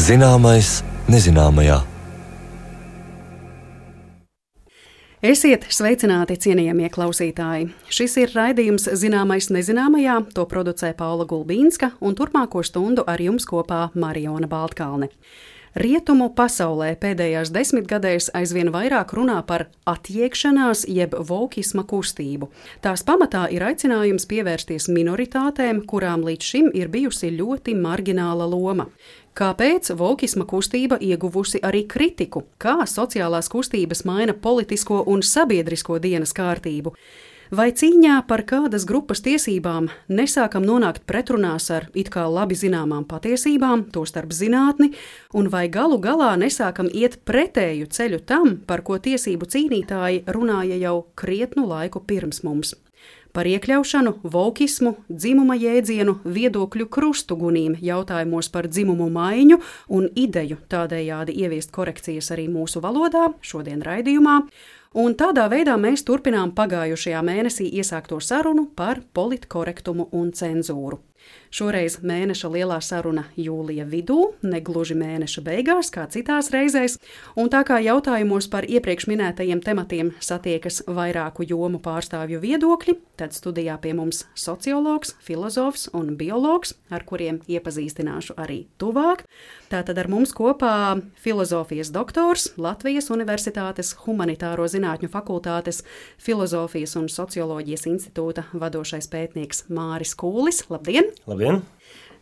Zināmais nezināmajā. Esiet sveicināti, cienījamie klausītāji! Šis ir raidījums Zināmais nezināmajā, to producē Paula Gulbīnska, un turpmāko stundu ar jums kopā Mariona Baltkalne. Rietumu pasaulē pēdējās desmitgadēs aizvien vairāk runā par atjēgšanās jeb vokisma kustību. Tās pamatā ir aicinājums pievērsties minoritātēm, kurām līdz šim ir bijusi ļoti margināla loma. Kāpēc vokisma kustība ieguvusi arī kritiku? Kā sociālās kustības maina politisko un sabiedrisko dienas kārtību? Vai cīņā par kādas grupas tiesībām nesākam nonākt pretrunās ar it kā labi zināmām patiesībām, tostarp zinātni, un vai galu galā nesākam iet pretēju ceļu tam, par ko tiesību cīnītāji runāja jau krietnu laiku pirms mums? Par iekļaušanu, vokismu, dzimuma jēdzienu, viedokļu krustugunīm, jautājumos par dzimumu maiņu un ideju tādējādi ieviest korekcijas arī mūsu valodā, šodien raidījumā. Un tādā veidā mēs turpinām pagājušajā mēnesī iesākto sarunu par politkorektumu un cenzūru. Šoreiz mēneša lielā saruna jūlija vidū, ne gluži mēneša beigās, kā citās reizēs, un tā kā jautājumos par iepriekš minētajiem tematiem satiekas vairāku jomu pārstāvju viedokļi, tad studijā pie mums sociologs, filozofs un biologs, ar kuriem iepazīstināšu arī tuvāk. Tātad ar mums kopā filozofijas doktors, Latvijas Universitātes Humanitāro zinātņu fakultātes Filozofijas un socioloģijas institūta vadošais pētnieks Māris Kūlis. Labdien! Labdien!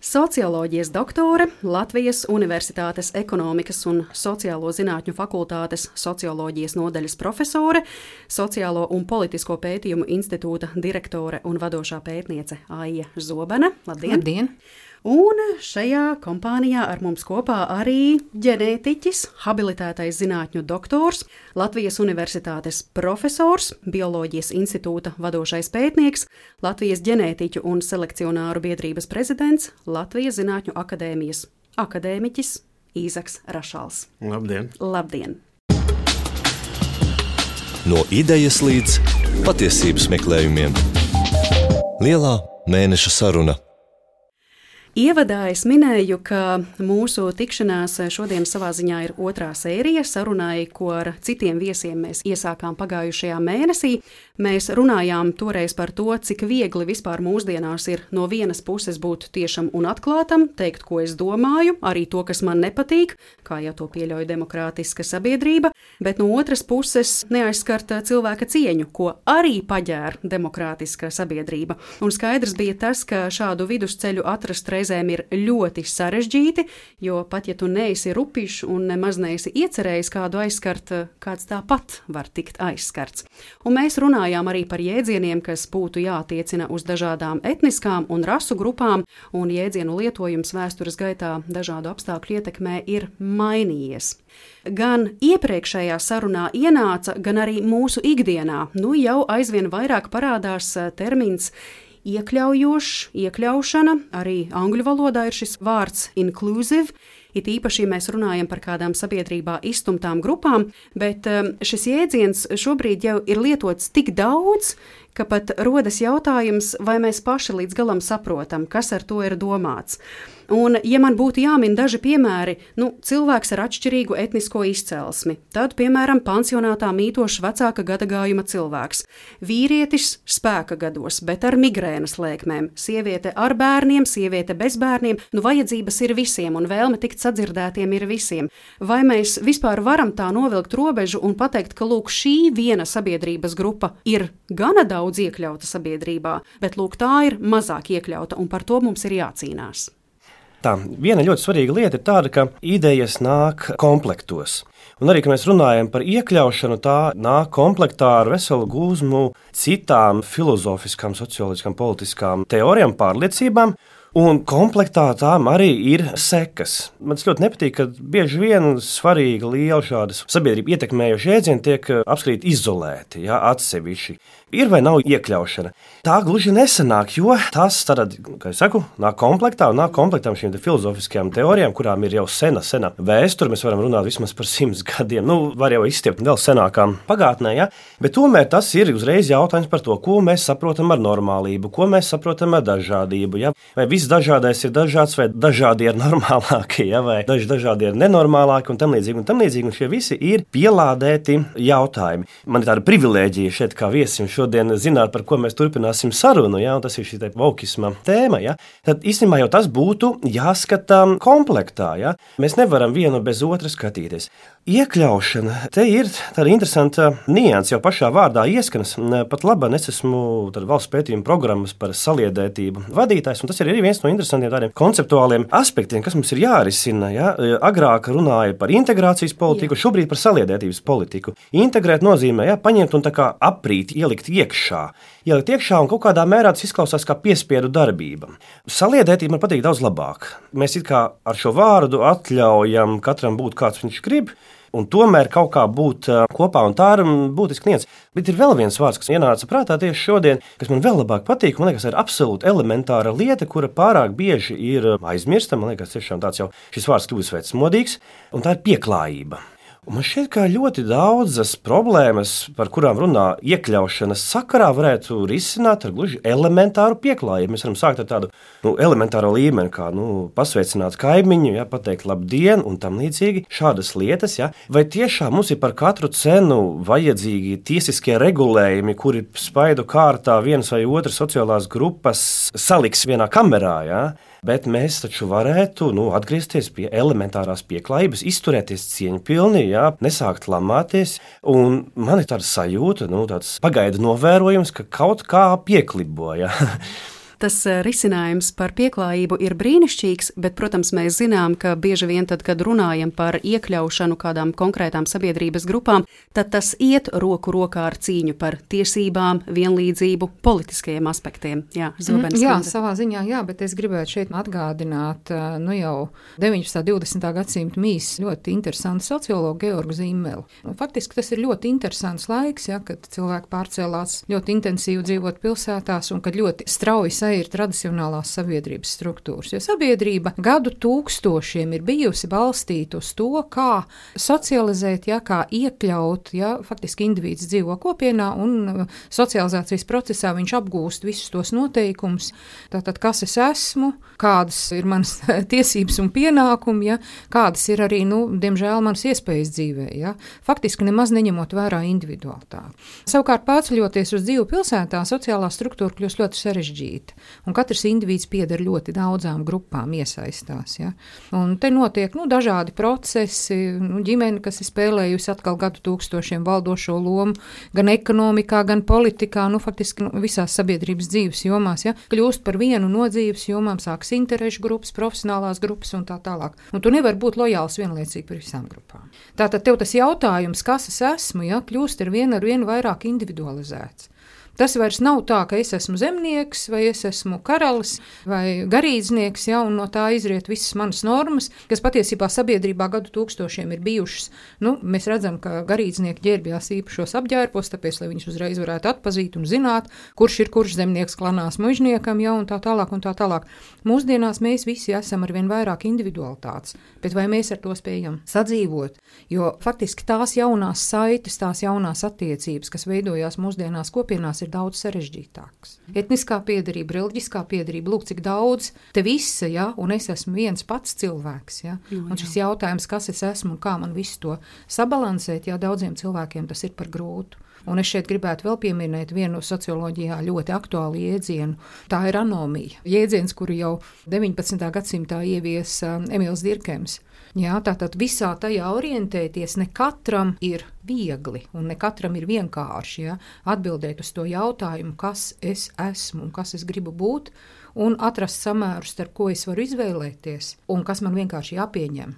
Socioloģijas doktore, Latvijas Universitātes Ekonomikas un sociālo zinātņu fakultātes socioloģijas nodaļas profesore, Sociālo un politisko pētījumu institūta direktore un vadošā pētniece Aija Zobene. Labdien! Labdien! Un šajā kompānijā ar mums kopā arī ģenētiķis, habilitētais zinātņu doktors, Latvijas Universitātes profesors, Bioloģijas institūta vadošais pētnieks, Latvijas ģenētiķu un selekcionāru biedrības prezidents, Latvijas Zinātņu akadēmijas akadēmiķis Īzaks Rašals. Labdien! Labdien! No idejas līdz patiesības meklējumiem. Lielā mēneša saruna. Ievadā es minēju, ka mūsu tikšanās šodien savā ziņā ir otrā sērija sarunai, ko ar citiem viesiem mēs iesākām pagājušajā mēnesī. Mēs runājām toreiz par to, cik viegli vispār mūsdienās ir no vienas puses būt tiešam un atklātam, teikt, ko es domāju, arī to, kas man nepatīk, kā jau to pieļauj demokrātiska sabiedrība, bet no otras puses neaizskart cilvēka cieņu, ko arī paģēra demokrātiska sabiedrība. Un skaidrs bija tas, ka šādu vidusceļu atrast reizēm ir ļoti sarežģīti, jo pat ja tu neesi rupišs un nemaz neesi iecerējis kādu aizskart, kāds tāpat var tikt aizskarts. Un mēs runājām arī par jēdzieniem, kas būtu jātiecina uz dažādām etniskām un rasu grupām, un jēdzienu lietojums vēstures gaitā dažādu apstākļu ietekmē ir mainījies. Gan iepriekšējā sarunā ienāca, gan arī mūsu ikdienā, jau aizvien vairāk parādās termins iekļaujošs, iekļaušana, arī angļu valodā ir šis vārds inclusive, it īpaši, ja mēs runājam par kādām sabiedrībā izstumtām grupām, bet šis jēdziens šobrīd jau ir lietots tik daudz, ka pat rodas jautājums, vai mēs paši līdz galam saprotam, kas ar to ir domāts. Un, ja man būtu jāmin daži piemēri, cilvēks ar atšķirīgu etnisko izcelsmi, tad, piemēram, pansionātā mītošs vecāka gadagājuma cilvēks, vīrietis spēka gados, bet ar migrēnas lēkmēm, sieviete ar bērniem, sieviete bez bērniem, vajadzības ir visiem un vēlme tikt sadzirdētiem ir visiem. Vai mēs vispār varam tā novilkt robežu un pateikt, ka lūk, šī viena sabiedrības grupa ir gana daudz iekļauta sabiedrībā, bet lūk, tā ir mazāk iekļauta un par to mums ir jācīnās. Tā, viena ļoti svarīga lieta ir tāda, ka idejas nāk komplektos. Un arī, kad mēs runājam par iekļaušanu, tā nāk komplektā ar veselu gūzmu citām filozofiskām, socioloģiskām, politiskām teorijām, pārliecībām. Un komplektā tām arī ir sekas. Man ļoti nepatīk, ka bieži vien svarīgi liela šādas sabiedrību ietekmējoši jēdzieni tiek apskatīti izolēti, atsevišķi. Ir vai nav iekļaušana? Tā gluži nesanāk, jo tas, kā es saku, nāk komplektā un nāk komplektām šīm filozofiskajām teorijām, kurām ir jau sena vēsture. Mēs varam runāt vismaz par 100 gadiem, var jau izstiept vēl senākām pagātnē, bet tomēr tas ir uzreiz jautājums par to, ko mēs saprotam ar normālību, ko mēs saprotam ar dažādību, vai viss viss dažādais ir dažāds, vai dažādi ir normālākie, ja, vai dažādi ir nenormālāki un tam līdzīgi. Un šie visi ir pielādēti jautājumi. Man ir tāda privilēģija šeit kā viesim šodien zināt, par ko mēs turpināsim sarunu, ja, un tas ir šī vokisma tēma. Ja. Tad īstenībā jau tas būtu jāskata komplektā. Ja. Mēs nevaram vienu bez otra skatīties. Iekļaušana, te ir tāda interesanta nianse, jau pašā vārdā ieskanas. Pat labāk es esmu valsts pētījuma programmas par saliedētību vadītājs, un tas ir arī viens no interesantiem tādiem konceptuāliem aspektiem, kas mums ir jārisina. Ja? Agrāk runāja par integrācijas politiku, šobrīd par saliedētības politiku. Integrēt nozīmē paņemt un tā kā aprīt, ielikt iekšā. Ielikt iekšā un kaut kādā mērā tas izklausās kā piespiedu darbība. Saliedētība man patīk daudz labāk. Mēs it kā ar šo vārdu atļaujam katram būt kāds viņš grib, un tomēr kaut kā būt kopā, un tā ir būtiski nianse. Bet ir vēl viens vārds, kas ienāca prātā tieši šodien, kas man vēl labāk patīk. Man liekas, ir absolūti elementāra lieta, kura pārāk bieži ir aizmirsta. Man liekas, tiešām tāds jau šis vārds kļūst vecmodīgs, un tā ir pieklājība. Un man šķiet, ka ļoti daudzas problēmas, par kurām runā iekļaušanas sakarā, varētu risināt ar gluži elementāru pieklājību. Mēs varam sākt ar tādu elementāro līmeni, kā pasveicināt kaimiņu, pateikt labdien un tam līdzīgi šādas lietas. Ja. Vai tiešām mums ir par katru cenu vajadzīgi tiesiskie regulējumi, kuri spaidu kārtā vienas vai otras sociālās grupas saliks vienā kamerā? Ja. Bet mēs taču varētu atgriezties pie elementārās pieklājības, izturēties cieņpilni, nesākt lamāties. Un man ir tāda sajūta, tāds pagaidu novērojums, ka kaut kā pieklibo. Ja. Tas risinājums par pieklājību ir brīnišķīgs, bet, protams, mēs zinām, ka bieži vien tad, kad runājam par iekļaušanu kādām konkrētām sabiedrības grupām, tad tas iet roku rokā ar cīņu par tiesībām, vienlīdzību, politiskajiem aspektiem. Jā, Zobenes Jā, kundze. savā ziņā, jā, bet es gribētu šeit atgādināt, jau 19. 20. gadsimta mīs ļoti interesantu sociologu Georgu Zīmeli. Faktiski tas ir ļoti interesants laiks, kad cilvēki pārcēlās ļoti intensīvi dzīvot pilsētās un kad ļoti strauji ir tradicionālās sabiedrības struktūras, jo sabiedrība gadu tūkstošiem ir bijusi balstīta uz to, kā socializēt, kā iekļaut, faktiski indivīds dzīvo kopienā un socializācijas procesā viņš apgūst visus tos noteikumus. Tātad, kas es esmu, kādas ir manas tiesības un pienākumi, kādas ir arī, diemžēl, manas iespējas dzīvē. Faktiski nemaz neņemot vērā individualitāti. Savukārt, pārceļoties uz dzīvi pilsētā, sociālā struktūra kļūst ļoti sarežģīta. Un katrs indivīds pieder ļoti daudzām grupām, iesaistās. Ja? Un te notiek dažādi procesi, ģimene, kas ir spēlējusi atkal gadu tūkstošiem valdošo lomu, gan ekonomikā, gan politikā, faktiski visās sabiedrības dzīves jomās, kļūst par vienu no dzīves jomām, sāks interešu grupas, profesionālās grupas un tā tālāk. Un tu nevari būt lojāls vienlaicīgi par visām grupām. Tātad tev tas jautājums, kas es esmu, kļūst ar vienu vairāk individualizēts. Tas vairs nav tā, ka es esmu zemnieks, vai es esmu karalis, vai garīdznieks, un no tā izriet visas manas normas, kas patiesībā sabiedrībā gadu tūkstošiem ir bijušas. Mēs redzam, ka garīdznieki ģērbjās īpašos apģērbos, tāpēc, lai viņus uzreiz varētu atpazīt un zināt, kurš ir kurš zemnieks klanās mužniekam, un tā tālāk un tā tālāk. Mūsdienās mēs visi esam ar vien vairāk individualitātes, bet vai mēs ar to spējam sadzīvot? Jo faktiski tās jaunās saites, tās jaunās attiecības, kas veidojās mūsdienās kopienās, ir daudz sarežģītāks. Etniskā piederība, reliģiskā piederība, lūk, cik daudz te visa, un es esmu viens pats cilvēks, Un šis jautājums, kas es esmu un kā man visu to sabalansēt, daudziem cilvēkiem tas ir par grūtu. Un es šeit gribētu vēl pieminēt vienu socioloģijā ļoti aktuālu jēdzienu. Tā ir anomija. Jēdziens, kuru jau 19. gadsimtā ieviesa Emīls Dirkems. Tātad visā tajā orientēties ne katram ir viegli un ne katram ir vienkārši atbildēt uz to jautājumu, kas es esmu un kas es gribu būt, un atrast samēru starp ko es varu izvēlēties un kas man vienkārši jāpieņem.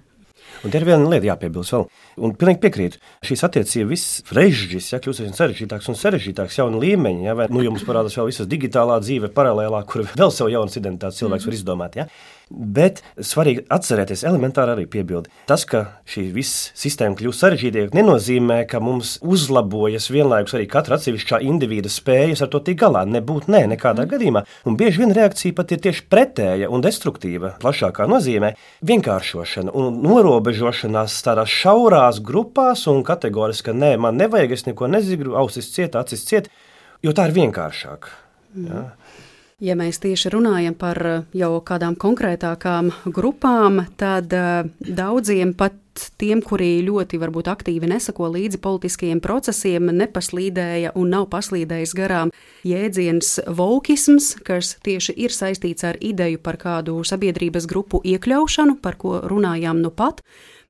Un te ir viena lieta jāpiebilst vēl. Un pilnīgi piekrītu. Šīs attiecības viss režģis, kļūst vien sarežģītāks un sarežģītāks jauna līmeņa. Vai jums parādās vēl visas digitālā dzīve paralēlā, kur vēl savu jaunas identitātes cilvēks var izdomāt. Bet svarīgi atcerēties elementāri arī piebildi. Tas, ka šī viss sistēma kļūst sarežģītāka, nenozīmē, ka mums uzlabojas vienlaikus arī katra atsevišķā individa spējas ar to tikt galā. Nekādā gadījumā. Un bieži vien reakcija pat ir tieši pretēja un destruktīva, plašākā nozīmē vienkāršošana un norobežošanās tādās šaurās grupās un kategoriski, ka man nevajag, es neko nezinu, ausis ciet, acis ciet, jo tā ir vienkāršāk. Ja? Ja mēs tieši runājam par jau kādām konkrētākām grupām, tad daudziem pat tiem, kuri ļoti varbūt aktīvi nesako līdzi politiskajiem procesiem, nepaslīdēja un nav paslīdējis garām jēdziens vokisms, kas tieši ir saistīts ar ideju par kādu sabiedrības grupu iekļaušanu, par ko runājām nu pat.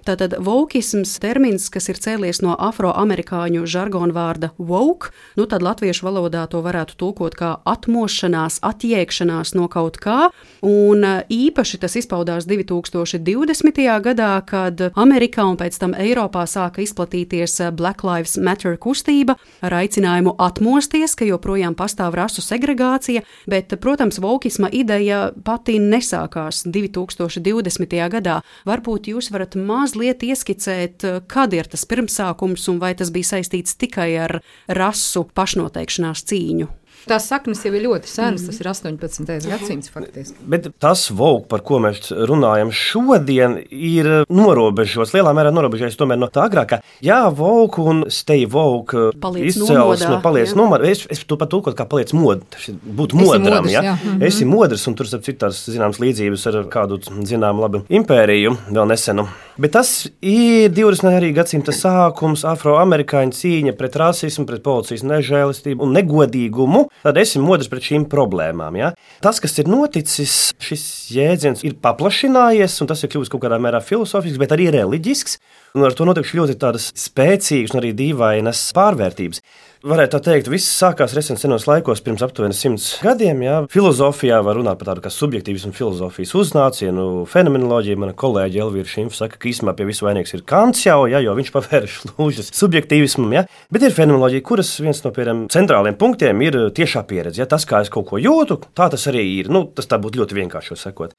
Tātad vokisms termins, kas ir cēlies no afroamerikāņu žargona vārda woke, tad latviešu valodā to varētu tulkot kā atmošanās, atjēgšanās no kaut kā, un īpaši tas izpaudās 2020. gadā, kad Amerikā un pēc tam Eiropā sāka izplatīties Black Lives Matter kustība ar aicinājumu atmosties, ka joprojām pastāv rasu segregācija, bet, protams, vokisma ideja pati nesākās 2020. gadā. Varbūt jūs varat mazliet ieskicēt, kad ir tas pirmsākums un vai tas bija saistīts tikai ar rasu pašnoteikšanās cīņu. Tās saknes jau ir ļoti senas, tas ir 18. gadsimts faktiski. Bet tas woke, par ko mēs runājam šodien, ir norobežots, lielā mērā norobežots tomēr no tā agrākā. Jā, woke un stay woke izcelsme paliec nomodā. Es to pat tulkot kā paliec būt modram. Esi modrs, un tur citās zināmas līdzības ar kādu zinām labu impēriju vēl nesenu. Bet tas ir 20. gadsimta sākums, afroamerikāņu cīņa pret rasismu, pret policijas nežēlistību un negodīgumu. Tad esi modrs pret šīm problēmām. Ja? Tas, kas ir noticis, šis jēdziens ir paplašinājies, un tas ir kļuvis kaut kādā mērā filosofisks, bet arī reliģisks. Un ar to notiek ļoti tādas spēcīgas un arī dīvainas pārvērtības. Varētu tā teikt, viss sākās senos laikos, pirms aptuveni 100 gadiem. Jā. Filozofijā var runāt par tādu kā subjektīvismu filozofijas uznācienu, fenomenoloģiju. Mana kolēģe Elvīra Šimfa saka, ka īstenībā pie visu vainīgs ir Kants jau, jo viņš pavēra šlūžas subjektīvismam. Jā. Bet ir fenomenoloģija, kuras viens no centrāliem punktiem ir tiešā pieredze. Jā. Tas, kā es kaut ko jūtu, tā tas arī ir. Tas tā būtu ļoti vienkārši sakot.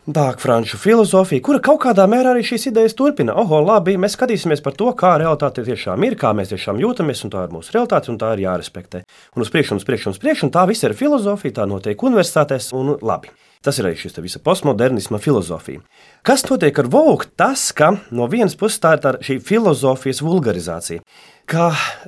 Tā franču filozofija, kura kaut kādā mērā arī šīs idejas turpina. Labi, mēs skatīsimies par to, kā realitāte tiešām ir, kā mēs tiešām jūtamies, un tā ir mūsu realitāte, un tā ir jārespektē. Un uz priekšu, un tā viss ir filozofija, tā notiek universitātēs, un labi. Tas ir arī šis visa postmodernisma filozofija. Kas notiek ar woke? Tas, ka no vienas puses tā ir šī filozofijas vulgarizācija. Kā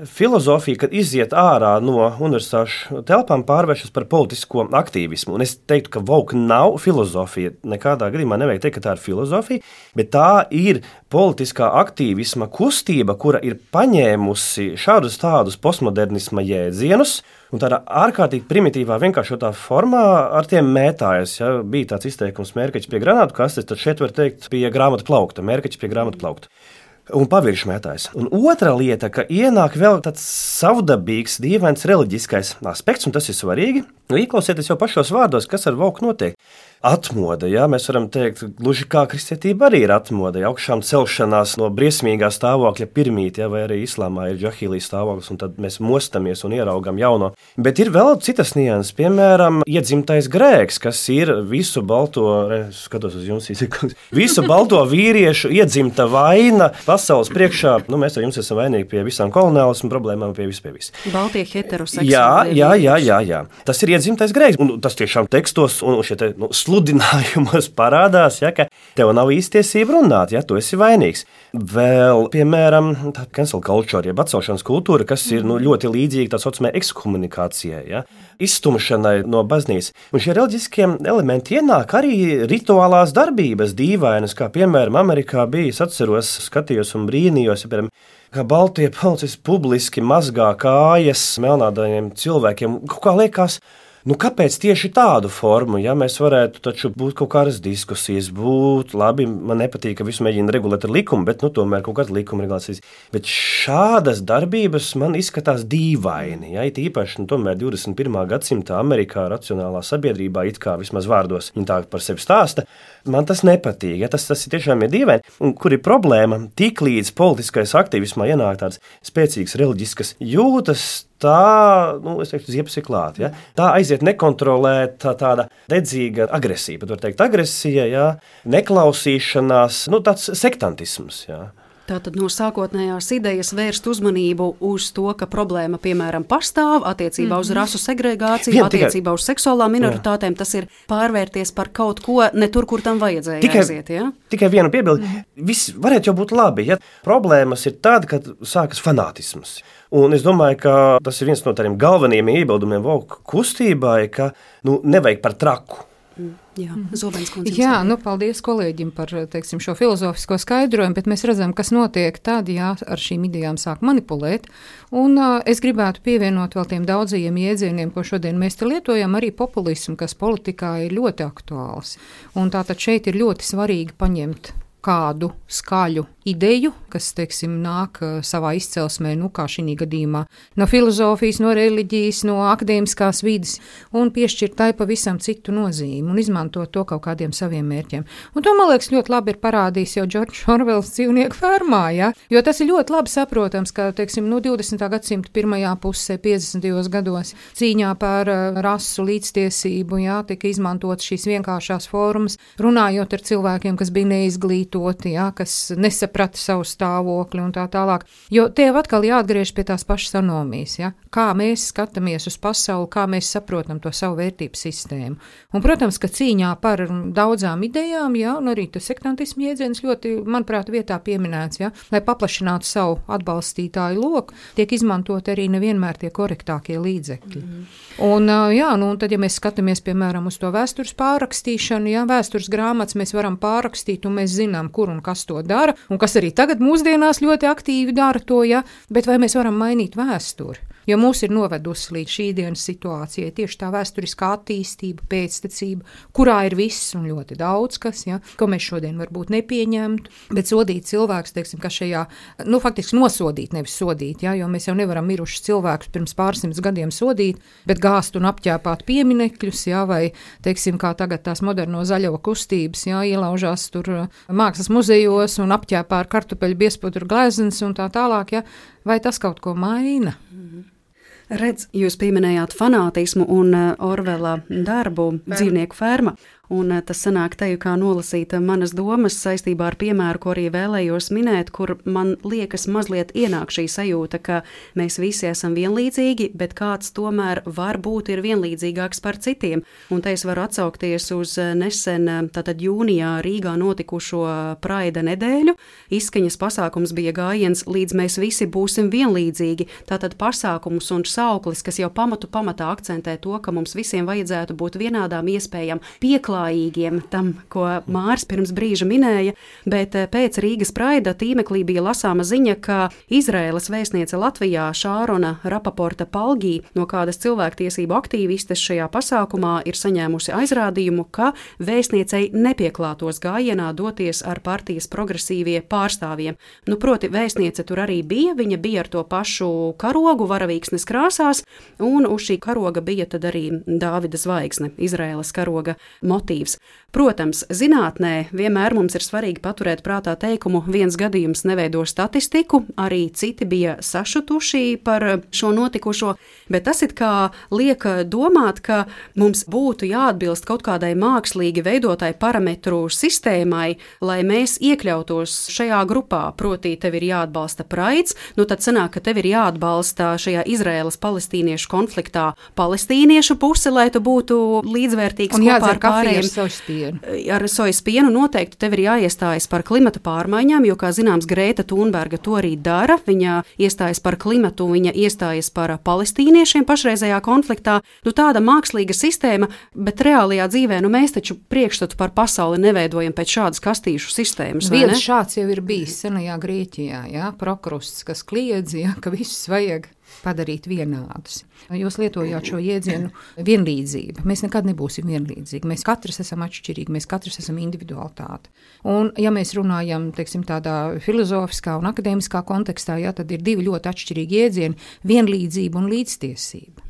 filozofija, kad iziet ārā no universitāšu telpām, pārvēršas par politisko aktīvismu. Un es teiktu, ka woke nav filozofija. Nekādā gadījumā nevajag teikt, ka tā ir filozofija, bet tā ir politiskā aktīvisma kustība, kura ir paņēmusi šādus tādus postmodernisma jēdzienus un tādā ārkārtīgi primitīvā, vienkāršotā formā ar tiem mētājas. Ja? Bija tāds izteikums mērkaķis pie granātu kastes, tad šeit var teikt pie grāmatu plaukta, mērkaķis pie grāmatu plaukta. Un pavirši mētājs. Un otra lieta, ka ienāk vēl tāds savdabīgs, dīvains reliģiskais aspekts, un tas ir svarīgi. Ieklausieties jau pašos vārdos, kas ar woke notiek. Atmoda, jā, mēs varam teikt, gluži kā kristietība arī ir atmoda, augšām celšanās no briesmīgā stāvokļa pirmīt, jā, vai arī islāmā ir džahīlijas stāvoklis, un tad mēs mostamies un ieraugam jauno. Bet ir vēl citas nianses, piemēram, iedzimtais grēks, kas ir visu balto, skatos uz jums, visu balto vīriešu iedzimta vaina pasaules priekšā. Mēs ar jums esam vainīgi pie visām koloniālismu problēmām, pie viss. Baltie heteroseksuāli. Jā. Tas ir iedzimtais grēks, un tas tiešām tekstos un šie sludinājumos parādās, ja, ka tev nav īstiesība runāt, ja tu esi vainīgs. Vēl, piemēram, tā cancel culture, jeb atcelšanas kultūra, kas ir ļoti līdzīga tā saucamai ekskomunikācijai, ja, izstumšanai no baznīcas. Un šie reliģiskie elementi ienāk arī rituālās darbības dīvainas, kā piemēram Amerikā bija, es atceros, skatījos un brīnījos, ja, piemēram, kā baltie policisti publiski mazgā kājas melnādainiem cilvēkiem. Kaut kā liekas, kāpēc tieši tādu formu? Ja mēs varētu taču būt kaut kādas diskusijas, labi, man nepatīk, ka visu mēģina regulēt ar likumu, bet tomēr kaut kāda likuma regulācijas. Bet šādas darbības man izskatās dīvaini. Ja, it īpaši, tomēr 21. gadsimta Amerikā racionālā sabiedrībā, it kā vismaz vārdos viņi tā par sevi stāsta, man tas nepatīk. Ja, tas ir tiešām dīvaini. Un kur ir problēma? Tik līdz politiskais aktīvismā ienāk tāds spēcīgs reliģiskas jūtas, tā, es teiktu, ziepes ir klāt. Ja? Tā aiziet nekontrolēta tāda dedzīga agresija, pat var teikt agresija, ja? Neklausīšanās, tāds sektantisms. Ja? Tātad no sākotnējās idejas vērst uzmanību uz to, ka problēma, piemēram, pastāv attiecībā uz rasu segregāciju, attiecībā uz seksuālām minoritātēm, tas ir pārvērties par kaut ko ne tur, kur tam vajadzēja aiziet. Ja? Tikai viena piebilde. Viss varētu jau būt labi, ja problēmas ir tāda, kad sākas fanātisms. Un es domāju, ka tas ir viens no tādiem galvenajiem iebildumiem woke kustībai, ka nevajag par traku. Jā, Zobens kundze. Jā, paldies kolēģim par, teiksim, šo filozofisko skaidrojumu, bet mēs redzam, kas notiek tad, ja ar šīm idejām sāk manipulēt. Un es gribētu pievienot vēl tiem daudzajiem jēdzieniem, ko šodien mēs te lietojam, arī populismu, kas politikā ir ļoti aktuāls. Un tātad šeit ir ļoti svarīgi paņemt kādu skaļu ideju, kas, teiksim, nāk savā izcelsmē, kā šī gadījumā, no filozofijas, no reliģijas, no akadēmiskās vides, un piešķirt tai pavisam citu nozīmi un izmantot to kaut kādiem saviem mērķiem. Un to, man liekas, ļoti labi ir parādījis jau Džordžs Orvels Dzīvnieku fermā, ja? Jo tas ir ļoti labi saprotams, ka, teiksim, 20. gadsimta pirmajā pusē, 50. gados, cīņā par rasu līdztiesību, ja, tika izmantot šīs vienkāršās formas, runājot ar cilvēkiem, kas bija neizglītoti, ja, kas nesaprata savu stāvokli un tā tālāk. Jo tev atkal jāatgriež pie tās pašas anomijas, ja? Kā mēs skatāmies uz pasauli, kā mēs saprotam to savu vērtību sistēmu. Un, protams, ka cīņā par daudzām idejām, ja, un arī tas sektantismu jēdziens ļoti, manuprāt, vietā pieminēts, ja, lai paplašinātu savu atbalstītāju loku, tiek izmantot arī nevienmēr tie korektākie līdzekļi. Un, un tad, ja mēs skatāmies, piemēram, uz to vēstures pārrakstīšanu, ja, vēstures grāmatas mēs varam pārrakstīt, un mēs zinām, kur un kas to dara, un kas arī tagad mūsdienās ļoti aktīvi dara to, ja, bet vai mēs varam mainīt vēsturi? Jo mūs ir novedusi līdz šī dienas situācijai tieši tā vēsturiskā attīstība, pēctecība, kurā ir viss un ļoti daudz kas, ja, ko mēs šodien varbūt nepieņemtu, bet sodīt cilvēks, teiksim, ka šajā, faktiski nosodīt, nevis sodīt, ja, jo mēs jau nevaram mirušus cilvēkus pirms pārsimts gadiem sodīt, bet gāzt un apķēpāt pieminekļus, ja, vai, teiksim, kā tagad tās moderno zaļo kustības, ja, ielaužās tur mākslas muzejos un apķēpā ar kartupeļu biezpudru gleznas un tā tālāk, ja, vai tas kaut ko maina? Redz, jūs pieminējāt fanātismu un Orvela darbu Dzīvnieku ferma. Un tas sanāk teju kā nolasīt manas domas saistībā ar piemēru, ko arī vēlējos minēt, kur man liekas mazliet ienāk šī sajūta, ka mēs visi esam vienlīdzīgi, bet kāds tomēr varbūt ir vienlīdzīgāks par citiem. Un te es varu atsaukties uz nesen, tātad jūnijā Rīgā notikušo Praida nedēļu. Izskaņas pasākums bija gājiens līdz mēs visi būsim vienlīdzīgi. Tātad pasākums un sauklis, kas jau pamatā akcentē to, ka mums visiem vajadzētu būt vienādām iespējām tam, ko Māris pirms brīža minēja, bet pēc Rīgas Praida tīmeklī bija lasāma ziņa, ka Izraēlas vēstniece Latvijā Šārona Rapaporta Palgī no kādas cilvēktiesību aktīvistes šajā pasākumā ir saņēmusi aizrādījumu, ka vēstniecei nepieklātos gājienā doties ar partijas progresīvie pārstāvjiem. Proti, vēstniece tur arī bija, viņa bija ar to pašu karogu varavīksnes krāsās, un uz šī karoga bija tad arī Dāvida zvaigzne, Izraēlas karoga motīvs. Protams, zinātnē vienmēr mums ir svarīgi paturēt prātā teikumu viens gadījums neveido statistiku, arī citi bija sašutuši par šo notikušo, bet tas it kā liek domāt, ka mums būtu jāatbilst kaut kādai mākslīgi veidotai parametru sistēmai, lai mēs iekļautos šajā grupā, proti tev ir jāatbalsta Praids, tad sanāk, ka tev ir jāatbalsta šajā Izraēlas-palestīniešu konfliktā palestīniešu puse, lai tu būtu līdzvērtīgs kopā ar pārējiem. Ar sojas pienu noteikti tev ir jāiestājas par klimata pārmaiņām, jo, kā zināms, Grēta Thunberga to arī dara. Viņa iestājas par klimatu, viņa iestājas par palestīniešiem pašreizējā konfliktā. Tāda mākslīga sistēma, bet reālajā dzīvē, mēs taču priekšstatu par pasauli neveidojam pēc šādas kastīšu sistēmas. Viens šāds jau ir bijis senajā Grieķijā, ja? Prokrusts, kas kliedz, ja? Ka visus vajag padarīt vienādus. Jūs lietojāt šo jēdzienu vienlīdzība. Mēs nekad nebūsim vienlīdzīgi. Mēs katrs esam atšķirīgi, mēs katrs esam individualitāte. Un, ja mēs runājam, teiksim, tādā filozofiskā un akadēmiskā kontekstā, ja, tad ir divi ļoti atšķirīgi jēdzieni – vienlīdzība un līdztiesība.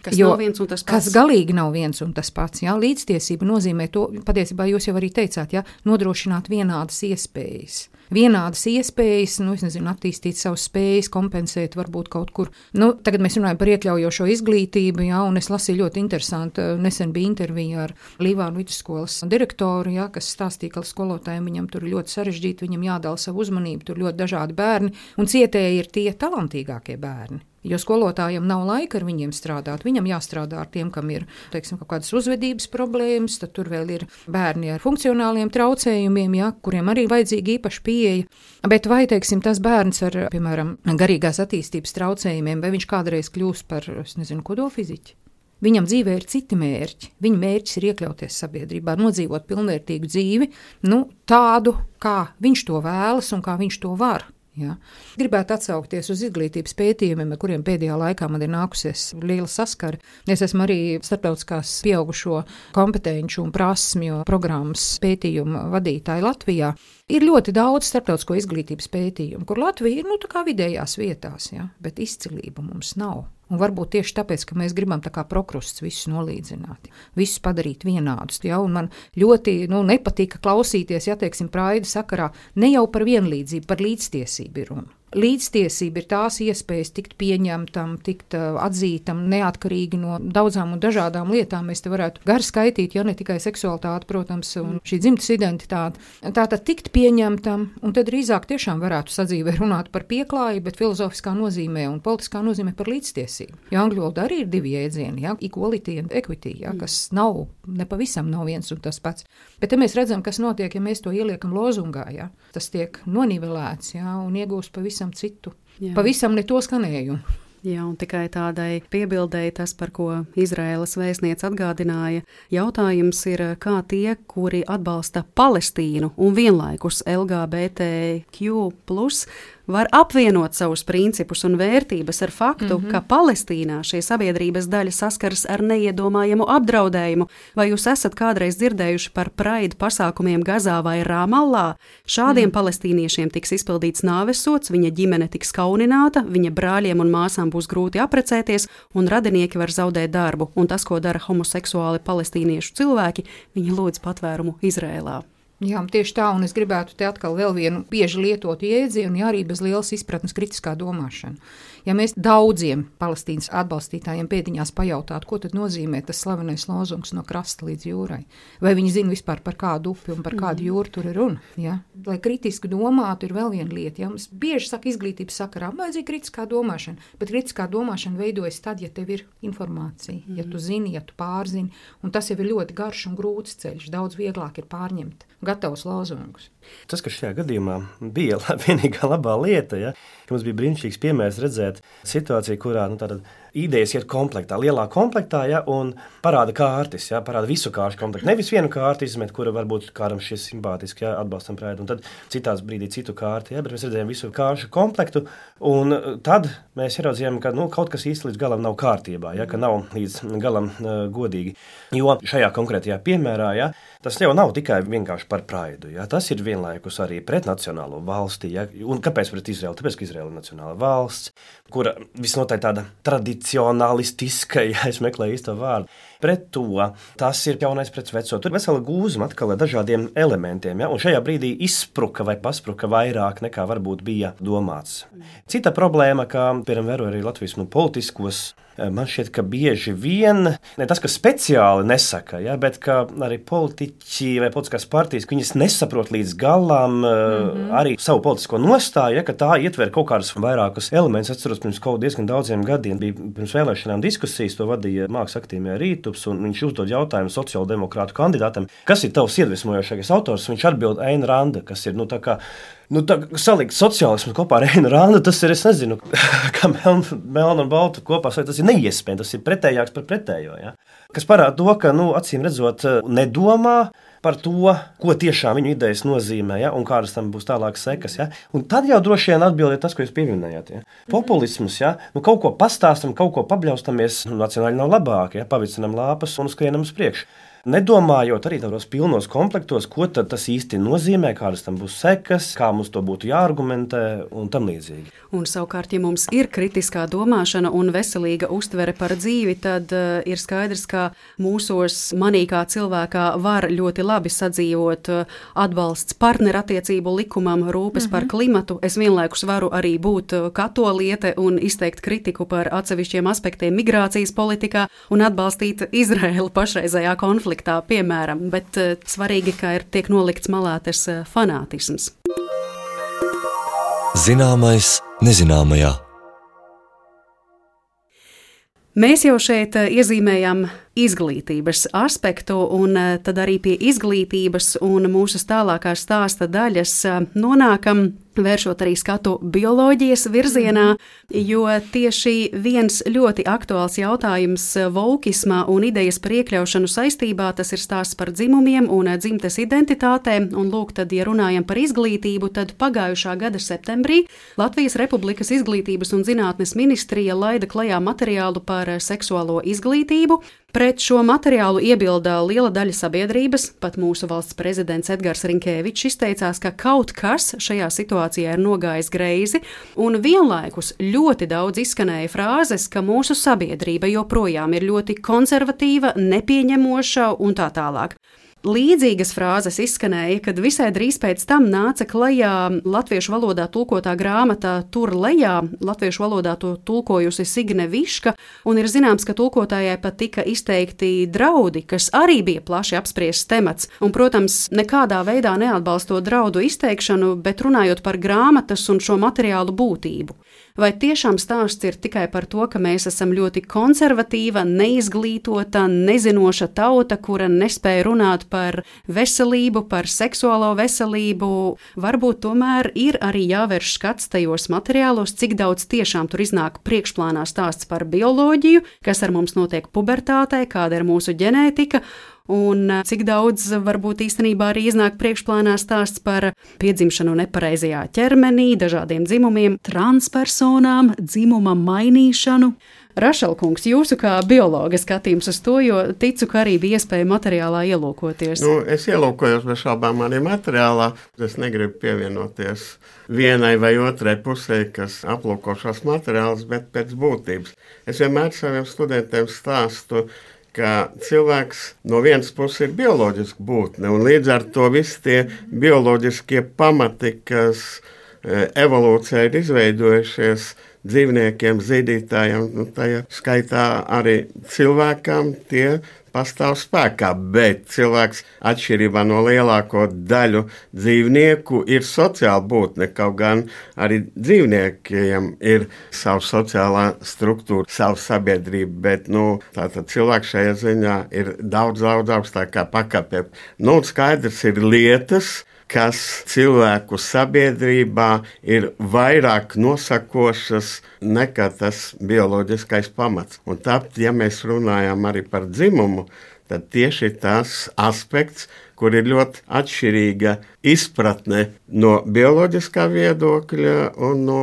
Kas nav viens un tas pats. Kas galīgi nav viens un tas pats. Jā. Līdztiesība nozīmē to, patiesībā jūs jau arī teicāt, jā, nodrošināt vienādas iespējas. Vienādas iespējas, attīstīt savas spējas, kompensēt varbūt kaut kur. Tagad mēs runājam par iekļaujošo izglītību, jā, un es lasīju ļoti interesanti. Nesen bija intervija ar Līvānu vidusskolas direktoru, jā, kas stāstīja, ka skolotājiem viņam tur ļoti sarežģīti, viņam jādala savu uzmanību, tur ļoti dažādi bērni, un cietēji ir tie talantīgākie bērni. Jo skolotājiem nav laika ar viņiem strādāt. Viņam jāstrādā ar tiem, kam ir, kaut kādas uzvedības problēmas, tad tur vēl ir bērni ar funkcionāliem traucējumiem, ja, kuriem arī vajadzīga īpaša pieeja. Bet vai, tas bērns ar, piemēram, garīgās attīstības traucējumiem, vai viņš kādreiz kļūs par, kodolfiziķi? Viņam dzīvē ir citi mērķi. Viņa mērķis ir iekļauties sabiedrībā, nodzīvot pilnvērtīgu dzīvi, tādu, kā viņš to vēlas un kā viņš to var. Ja. Gribētu atsaukties uz izglītības pētījumiem, ar kuriem pēdējā laikā man ir nākusies liela saskara. Es esmu arī starptautiskās pieaugušo kompetenču un prasmju programmas pētījumu vadītāja Latvijā. Ir ļoti daudz starptautisko izglītības pētījumu, kur Latvija ir tā kā vidējās vietās, ja, bet izcilība mums nav. Un varbūt tieši tāpēc, ka mēs gribam tā kā prokrusts visus nolīdzināt, visus padarīt vienādus. Ja? Un man ļoti nepatika klausīties, Praida sakarā, ne jau par vienlīdzību, par līdztiesību ir runa. Līdztiesība ir tās iespējas tikt pieņemtam, tikt atzītam, neatkarīgi no daudzām un dažādām lietām. Mēs te varētu gari skaitīt, ja ne tikai seksualitāte, protams, un šī dzimtes identitāte. Tātad tikt pieņemtam, un tad drīzāk tiešām varētu sadzīvē runāt par pieklāju, bet filozofiskā nozīmē un politiskā nozīmē par līdztiesību. Jo angļu valodā arī ir divi jēdzieni, ja? Equality and equity, ja? Kas nav, nepavisam nav viens un tas pats. Bet te mēs redzam, kas notiek, ja mēs to ieliekam lozungā, ja? Tas tiek nonivelēts, ja? Un iegūst pavisam citu, pavisam ne to skanējumu. Jā, un tikai tādai piebildēji tas, par ko Izraēlas vēstniece atgādināja. Jautājums ir, kā tie, kuri atbalsta Palestīnu un vienlaikus LGBTQ+, var apvienot savus principus un vērtības ar faktu, ka Palestīnā šī sabiedrības daļa saskaras ar neiedomājamu apdraudējumu. Vai jūs esat kādreiz dzirdējuši par Pride pasākumiem Gazā vai Ramallā? Šādiem palestīniešiem tiks izpildīts nāvesods, viņa ģimene tiks kaunināta, viņa brāļiem un māsām būs grūti apprecēties, un radinieki var zaudēt darbu. Un tas, ko dara homoseksuāli palestīniešu cilvēki, viņi lūdz patvērumu Izrēlā. Jā, tieši tā, un es gribētu te atkal vēl vienu bieži lietotu jēdzienu, ja arī bez lielas izpratnes kritiskā domāšana. Ja mēs daudziem Palestīnas atbalstītājiem pēdiņās pajautātu, ko tad nozīmē tas slavenais lozungs no krasta līdz jūrai, vai viņi zina vispār par kādu upi un par kādu jūru tur ir runa, ja? Lai kritiski domātu ir vēl viena lieta, ja? Mums bieži saka izglītības sakarā, vajadzīga kritiskā domāšana, bet kritiskā domāšana veidojas tad, ja tev ir informācija, ja tu zini, ja tu pārzini, un tas jau ir ļoti garš un grūts ceļš, daudz vieglāk ir pārņemt gatavus lozungus. Tas, kas šajā gadījumā bija vienīgā labā lieta, ja, ka mums bija brīnišķīgs piemērs redzēt situāciju, kurā tātad idejas iet komplektā, lielā komplektā, ja, un parāda kārtis, ja, parāda visu kāršu komplektu. Nevis vienu kārti izmet, kura varbūt kādam šis simpātiski, ja, atbalstam Praidu, un tad citās brīdī citu kārti, ja, bet mēs redzējām visu kāršu komplektu, un tad mēs ieraudzījām, ka kaut kas īsti līdz galam nav kārtībā, ja, ka nav līdz galam godīgi. Jo šajā konkrētajā piemērā, ja, tas jau nav tikai vienkārši par Praidu, ja, tas ir vienlaikus arī pret nacionālo valsti. Ja, un kāpēc pret Izraelu? Tāpēc, ka Izraela ir nacionāla valsts, kura visnotaļ tāda tradicionalistiska, ja es meklēju īsto vārdu. Pret to tas ir jaunais pret veco. Tur vesela gūzma atkal ar dažādiem elementiem, ja, un šajā brīdī izspruka vai paspruka vairāk nekā varbūt bija domāts. Cita problēma, kā piemēram vēro arī Latvijas politiskos, man šķiet, ka bieži vien, ne tas, ka speciāli nesaka, ja, bet ka arī politiķi vai politiskās partijas, ka viņas nesaprot līdz galam arī savu politisko nostāju, ja, ka tā ietver kaut kādus vairākus elementus. Atceros, pirms kaut diezgan daudziem gadiem bija pirms vēlēšanām diskusijas, to vadīja Mākslas aktīvajā Rītups, un viņš uzdod jautājumu sociāldemokrātu kandidātam, kas ir tavs iedvesmojošākais autors, viņš atbild Aina Randa, kas ir, tā kā salikt sociālismu kopā ar Ainu Randu, tas ir, es nezinu, kā melnu un baltu kopā, tas ir neiespējami, tas ir pretējāks par pretējo, ja? Kas parāda to, ka, acīm redzot, nedomā par to, ko tiešām viņu idejas nozīmē, ja? Un kādas tam būs tālākas sekas. Ja? Un tad jau droši vien atbild tas, ko jūs pieminējāt. Ja? Populisms, ja? Kaut ko pastāstam, kaut ko pabļaustamies, nacionāli nav labāk, ja? Pavicinam lāpas un skrienam uz priekšu. nedomājot arī tādos pilnos komplektos, ko tad tas īsti nozīmē, kādas tam būs sekas, kā mums to būtu jāargumentē un tam līdzīgi. Un savukārt, ja mums ir kritiskā domāšana un veselīga uztvere par dzīvi, tad ir skaidrs, ka mūsos manī kā cilvēkā var ļoti labi sadzīvot atbalsts partnerattiecību likumam, rūpes par klimatu. Es vienlaikus varu arī būt katoliete un izteikt kritiku par atsevišķiem aspektiem migrācijas politikā un atbalstīt Izraēlu pašreizējā konfliktā, piemēram. Bet svarīgi, ka tiek nolikts malā tas fanātisms. Zināmais nezināmajā. Mēs jau šeit iezīmējam izglītības aspektu, un tad arī pie izglītības un mūsu tālākā stāsta daļas nonākam, vēršot arī skatu bioloģijas virzienā, jo tieši viens ļoti aktuāls jautājums voukismā un idejas par iekļaušanu saistībā, tas ir stāsts par dzimumiem un dzimtes identitātēm, un lūk, tad, ja runājam par izglītību, tad pagājušā gada septembrī Latvijas Republikas Izglītības un zinātnes ministrija laida klajā materiālu par seksuālo izglītību. Pret šo materiālu iebilda liela daļa sabiedrības, pat mūsu valsts prezidents Edgars Rinkēvičs izteicās, ka kaut kas šajā situācijā ir nogājis greizi, un vienlaikus ļoti daudz izskanēja frāzes, ka mūsu sabiedrība joprojām ir ļoti konservatīva, nepieņemoša un tā tālāk. Līdzīgas frāzes izskanēja, kad visai drīz pēc tam nāca klajā latviešu valodā tulkotā grāmata Tur lejā, latviešu valodā to tulkojusi Signe Viška, un ir zināms, ka tulkotājai pat tika izteikti draudi, kas arī bija plaši apspriests temats, un, protams, nekādā veidā neatbalstot draudu izteikšanu, bet runājot par grāmatas un šo materiālu būtību. Vai tiešām stāsts ir tikai par to, ka mēs esam ļoti konservatīva, neizglītota, nezinoša tauta, kura nespēja runāt par veselību, par seksuālo veselību? Varbūt tomēr ir arī jāvērš skats tajos materiālos, cik daudz tiešām tur iznāk priekšplānā stāsts par bioloģiju, kas ar mums notiek pubertātē, kāda ir mūsu ģenētika, un cik daudz varbūt īstenībā arī iznāk priekšplānā stāsts par piedzimšanu nepareizajā ķermenī, dažādiem dzimumiem, transpersonām, dzimuma mainīšanu. Rašelkungs, jūsu kā biologa skatījums uz to, jo ticu, ka arī bija iespēja materiālā ielūkoties. Es ielūkojos bez šaubām arī materiālā. Es negribu pievienoties vienai vai otrai pusē, kas aplūko šos materiālus, bet pēc būtības. Es vienmēr saviem studentiem stāstu, ka cilvēks no vienas puses ir bioloģiska būtne, un līdz ar to visi tie bioloģiskie pamati, kas evolūcijā ir izveidojušies dzīvniekiem, zīdītājiem, tajā skaitā arī cilvēkam, tie pastāv spēkā, bet cilvēks atšķirībā no lielāko daļu dzīvnieku ir sociāla būtne, kaut gan arī dzīvniekiem ir sava sociālā struktūra, sava sabiedrība, bet tātad cilvēks šajā ziņā ir daudz augstākā pakāpē. Skaidrs ir lietas, kas cilvēku sabiedrībā ir vairāk nosakošas nekā tas bioloģiskais pamats. Un tāpēc, ja mēs runājam arī par dzimumu, tad tieši tas aspekts, kur ir ļoti atšķirīga izpratne no bioloģiskā viedokļa un no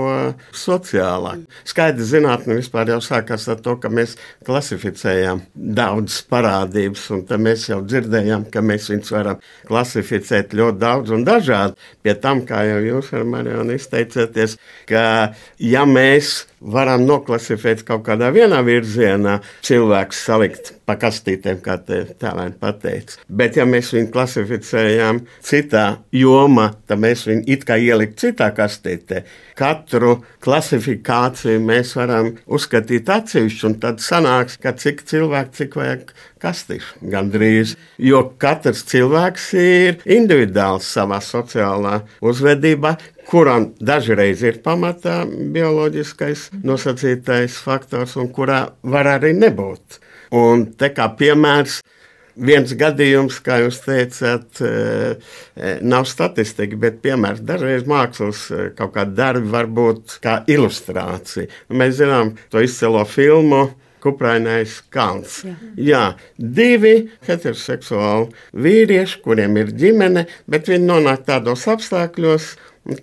sociālā. Skaidrs, zinātne vispār jau sākās ar to, ka mēs klasificējām daudzas parādības, un tad mēs jau dzirdējām, ka mēs viņus varam klasificēt ļoti daudz un dažādi. Pie tam, kā jau jūs ar Marionu izteicāties, ka ja mēs varam noklasificēt kaut kādā vienā virzienā, cilvēks salikt pa kastītēm, kā tēlēni pateica. Bet ja mēs viņu klasificējām citā jomā, tad mēs viņu it kā ielikt citā kastītē. Katru klasifikāciju mēs varam uzskatīt atsevišķi, un tad sanāks, ka cik cilvēku, cik vajag kastīšu gandrīz. Jo katrs cilvēks ir individuāls savā sociālā uzvedībā, kuram dažreiz ir pamatā bioloģiskais nosacītais faktors, un kurā var arī nebūt. Un te kā piemērs, viens gadījums, kā jūs teicāt, nav statistika, bet piemērs dažreiz mākslas kaut kādi darbi var būt kā ilustrācija. Mēs zinām to izcilo filmu Kuprainais kalns. Jā, 2 heteroseksuāli vīrieši, kuriem ir ģimene, bet viņi nonāk tādos apstākļos,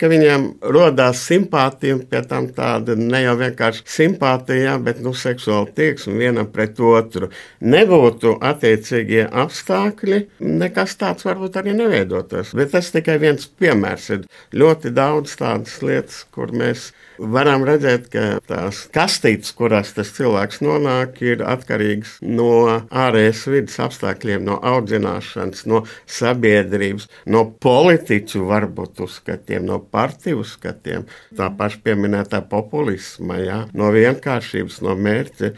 ka viņiem rodās simpātija, un pie tam tāda ne jau vienkārši simpātija, bet seksuāla tieksme vienam pret otru. Nebūtu attiecīgie apstākļi, nekas tāds varbūt arī neveidotos. Bet tas tikai viens piemērs. Ir ļoti daudz tādas lietas, kur mēs varam redzēt, ka tās kastītes, kurās tas cilvēks nonāk, ir atkarīgas no ārējas vidas apstākļiem, no audzināšanas, no sabiedrības, no politiķu varbūt uzskatiem, no partiju uzskatiem, tā paša pieminētā populisma, jā, no vienkāršības, no mērķa.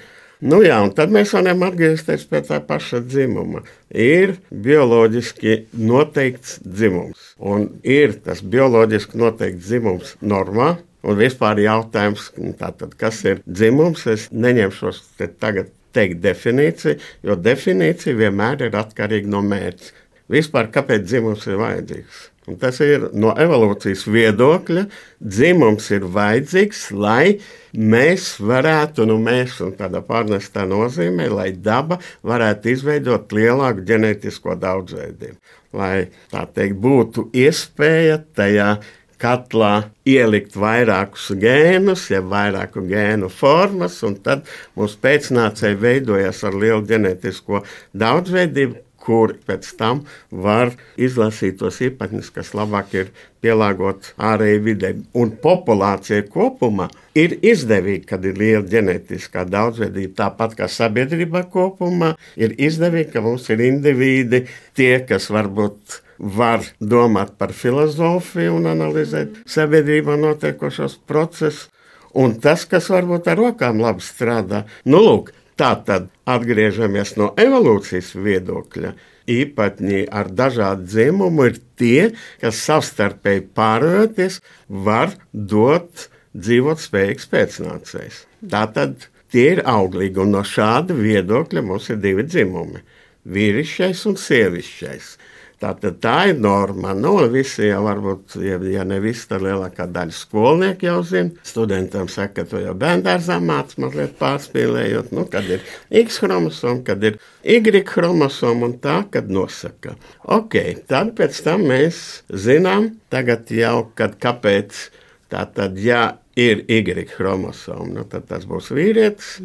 Un tad mēs varam atgriezties pie tā paša dzimuma. Ir bioloģiski noteikts dzimums, un ir tas bioloģiski noteikts dzimums normā. Un vispār jautājums, tātad, kas ir dzimums, es neņemšos tagad teikt definīciju, jo definīcija vienmēr ir atkarīga no mērķa. Vispār, kāpēc dzimums ir vajadzīgs? Un tas ir no evolūcijas viedokļa. Dzimums ir vajadzīgs, lai mēs varētu, mēs un tādā pārnestā nozīmē, lai daba varētu izveidot lielāku ģenētisko daudzveidību. Lai, tā teikt, būtu iespēja tajā katlā ielikt vairākus gēnus, ja vairāku gēnu formas, un tad mūsu pēcnācēji veidojas ar lielu ģenētisko daudzveidību, kur pēc tam var izlasīt tos īpatņus, kas labāk ir pielāgot ārēji vidē. Un populācija kopumā ir izdevīga, kad ir liela ģenētiskā daudzveidība, tāpat kā sabiedrībā kopumā ir izdevīga, ka mums ir indivīdi, tie, kas varbūt var domāt par filozofiju un analizēt sabiedrībā notiekošos procesus, un tas, kas varbūt ar rokām labi strādā. Lūk, tā tad atgriežamies no evolūcijas viedokļa. Īpatņi ar dažādu dzimumu ir tie, kas savstarpēji pārējoties var dot dzīvot spējīgs pēcnācējs. Tātad tie ir auglīgi, un no šāda viedokļa mums ir divi dzimumi – vīrišķais un sievišķais. Tātad tā ir norma. Visi jau varbūt, ja ne visi, tad lielākā daļa skolnieki jau zina. Studentam saka, ka to jau bērndārzā māc, mazliet pārspīlējot, kad ir X chromosoma, kad ir Y chromosoma un tā, kad nosaka. Tad pēc tam mēs zinām, tagad jau, kāpēc tātad, ja ir Y chromosoma, tad tas būs vīrietis.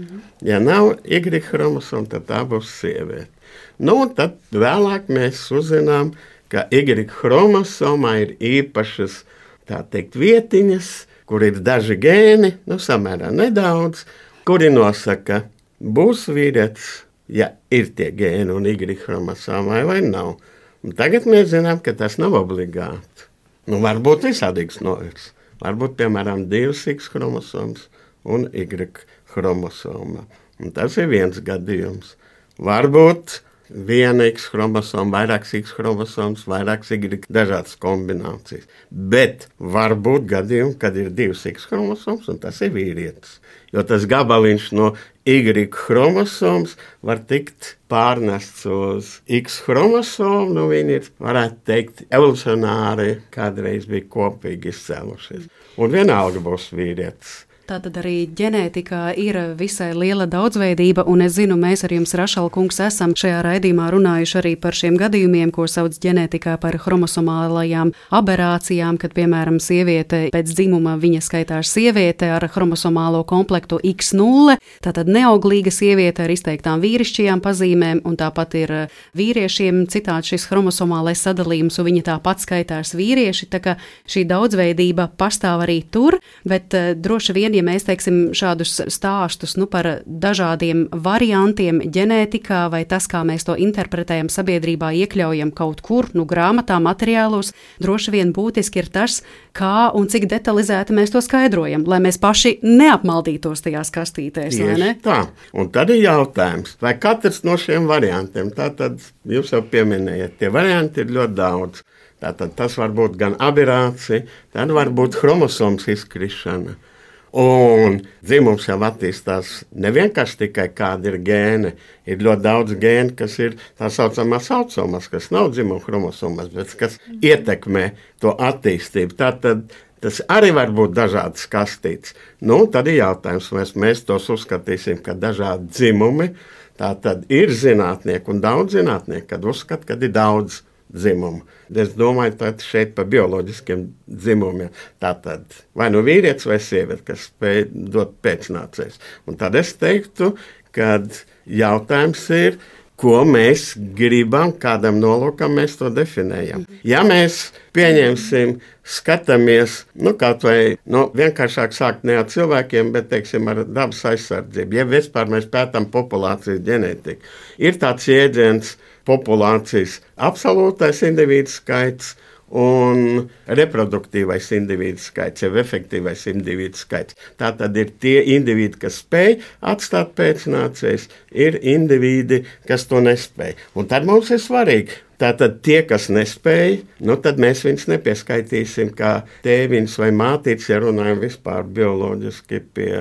Ja nav Y chromosoma, tad tā būs sieviete. Tad vēlāk mēs uzzinām, ka Y chromosomā ir īpašas, tā teikt, vietiņas, kur ir daži gēni, samērā nedaudz, kuri nosaka, būs vīrietis, ja ir tie gēni un Y chromosomā vai nav. Un tagad mēs zinām, ka tas nav obligāti. Varbūt visādīgs novirs. Varbūt, piemēram, 2 X chromosomas un Y chromosoma. Un tas ir viens gadījums. Varbūt viena X chromosoma, vairākas X chromosomas, vairākas Y, dažādas kombinācijas. Bet var būt gadījumi, kad ir 2 X chromosomas, un tas ir vīrietis. Jo tas gabaliņš no Y chromosomas var tikt pārnests uz X chromosomu, viņi ir, varētu teikt, evolucionāri kādreiz bija kopīgi izcēlušies. Un vienalga būs vīrietis. Tātad arī ģenētikā ir visai liela daudzveidība, un es zinu, mēs ar jums, Rašal kungs, esam šajā raidījumā runājuši arī par šiem gadījumiem, ko sauc ģenētikā par chromosomālajām aberācijām, kad, piemēram, sieviete pēc dzimuma viņa skaitās sieviete ar chromosomālo komplektu X0, tātad neauglīga sieviete ar izteiktām vīrišķajām pazīmēm, un tāpat ir vīriešiem citādi šis chromosomālais sadalījums, un viņa tāpat skaitās vīrieši, tā ka šī daudzveidība pastāv arī tur, bet droši vien, ja mēs teiksim šādus stāstus par dažādiem variantiem ģenētikā vai tas, kā mēs to interpretējam sabiedrībā, iekļaujam kaut kur, grāmatā, materiālos, droši vien būtiski ir tas, kā un cik detalizēti mēs to skaidrojam, lai mēs paši neapmaldītos tajās kastītēs, vai ne? Tā, un tad ir jautājums, vai katrs no šiem variantiem, tātad jūs jau pieminējat, tie varianti ir ļoti daudz. Tātad tas var būt gan aberācija, tad var būt chromosomas izkrišana. Un dzimums jau attīstās nevienkārši tikai kādi ir gēni. Ir ļoti daudz gēnu, kas ir tā saucamās autosomas, kas nav dzimuma chromosomas, bet kas ietekmē to attīstību. Tātad tas arī var būt dažādas kastītes. Tad ir jautājums, vai mēs tos uzskatīsim, ka dažādi dzimumi. Tātad ir zinātnieki un daudz zinātnieki, kad uzskata, ka ir daudz dzimumu. Es domāju, tad šeit par bioloģiskiem dzimumiem. Tātad vai nu vīrietis vai sieviete, kas spēj dot pēcnācējus. Un tad es teiktu, kad jautājums ir, ko mēs gribam, kādam nolūkam mēs to definējam. Ja mēs pieņemsim, skatāmies, kaut vai vienkāršāk sākt ne ar cilvēkiem, bet, teiksim, ar dabas aizsardzību. Ja vispār mēs pētām populācijas ģenētiku, ir tāds jēdziens populācijas absolūtais individu skaits un reproduktīvais individu skaits, jau efektīvais individu skaits. Tā tad ir tie individi, kas spēj atstāt pēcnācējus, ir individi, kas to nespēj. Un tad mums ir svarīgi. Tātad tie, kas nespēj, tad mēs viņus nepieskaitīsim kā tēviņus vai mātītes, ja runājam vispār bioloģiski pie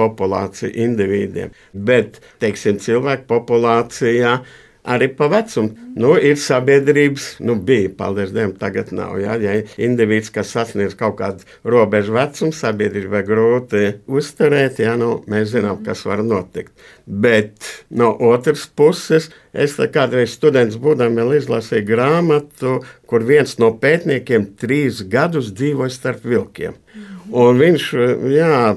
populāciju individiem. Bet, teiksim, cilvēku populācijā arī pa vecumu. Ir sabiedrības, bija, paldies Dievam, tagad nav. Ja indivīds, kas sasniedz kaut kādu robežu vecumu, sabiedrībai grūti uzturēt, mēs zinām, kas var notikt. Bet no otras puses, es kādreiz students būdam vēl izlasīju grāmatu, kur viens no pētniekiem 3 gadus dzīvoja starp vilkiem. Un viņš,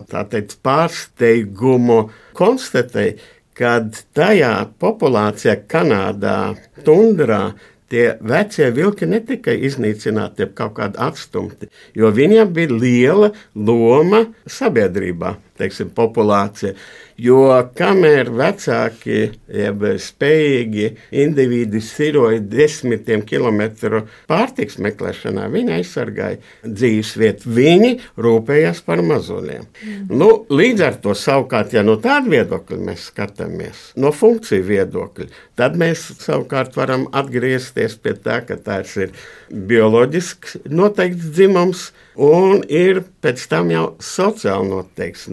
tā teikt, pārsteigumu konstatēja, kad tajā populācijā Kanādā, tundrā, tie vecie vilki netika iznīcināti, kaut kādi atstumti, jo viņiem bija liela loma sabiedrībā, teiksim, populācija. Jo kamēr vecāki, jeb spējīgi individi siroja 10 kilometru pārtiks meklēšanā, viņi aizsargāja dzīvesvietu, viņi rūpējās par mazuļiem. Līdz ar to savukārt, ja no tāda viedokļa mēs skatāmies, no funkciju viedokļa, tad mēs savukārt varam atgriezties pie tā, ka tās ir bioloģisks noteikts dzimums un ir pēc tam jau sociāli noteikts.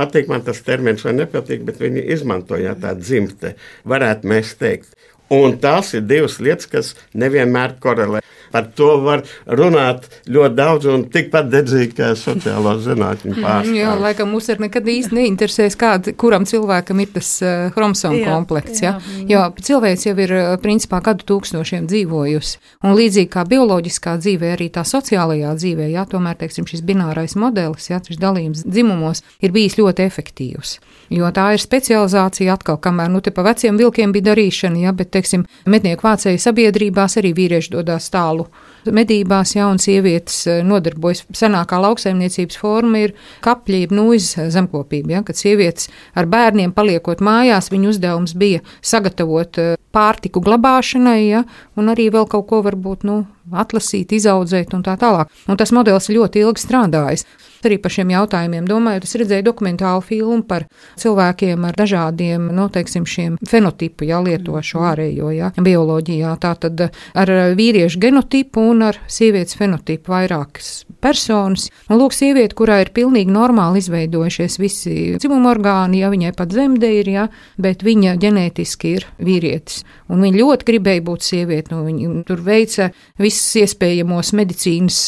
Patīk man tas termins vai nepatīk, bet viņi izmantoja tā dzimte, varētu mēs teikt. Un tās ir 2 lietas, kas nevienmēr korelē. Par to var runāt ļoti daudz un tikpat dedzīgi, kā sociālo zinātņu pārstāvji. Jā, laikam mums nekad īsti neinteresēs, kuram cilvēkam ir tas chromosomu komplekts. Jo cilvēks jau ir principā gadu tūkstošiem dzīvojusi. Un līdzīgi kā bioloģiskā dzīvē, arī tā sociālajā dzīvē, tomēr, teiksim, šis binārais modelis, šis dalījums dzimumos ir bijis ļoti efektīvs. Jo tā ir specializācija atkal, kamēr, te pa veciem vilkiem bija darīšana, bet, teiksim, mednieku vācēju sabiedrībās arī vīrieši dodās tālu medībās, un sievietes nodarbojas. Senākā lauksaimniecības forma ir kapļi, nūjas zemkopība, kad sievietes ar bērniem paliekot mājās, viņu uzdevums bija sagatavot pārtiku glabāšanai, un arī vēl kaut ko varbūt, atlasīt, izaudzēt un tā tālāk. Un tas modelis ļoti ilgi strādājis. Arī par šiem jautājumiem domājot, es redzēju dokumentālu filmu par cilvēkiem ar dažādiem, teiksim, šiem fenotipu, lietošo ārējo, bioloģijā. Tātad ar vīriešu genotipu un ar sievietes fenotipu vairākas personas. Un lūk, sieviete, kurā ir pilnīgi normāli izveidojušies visi dzimuma orgāni, viņai pat zemde ir, bet viņa ģenētiski ir vīrietis. Un viņa ļoti gribēja būt sieviete, viņa tur veica visas iespējamos medicīnas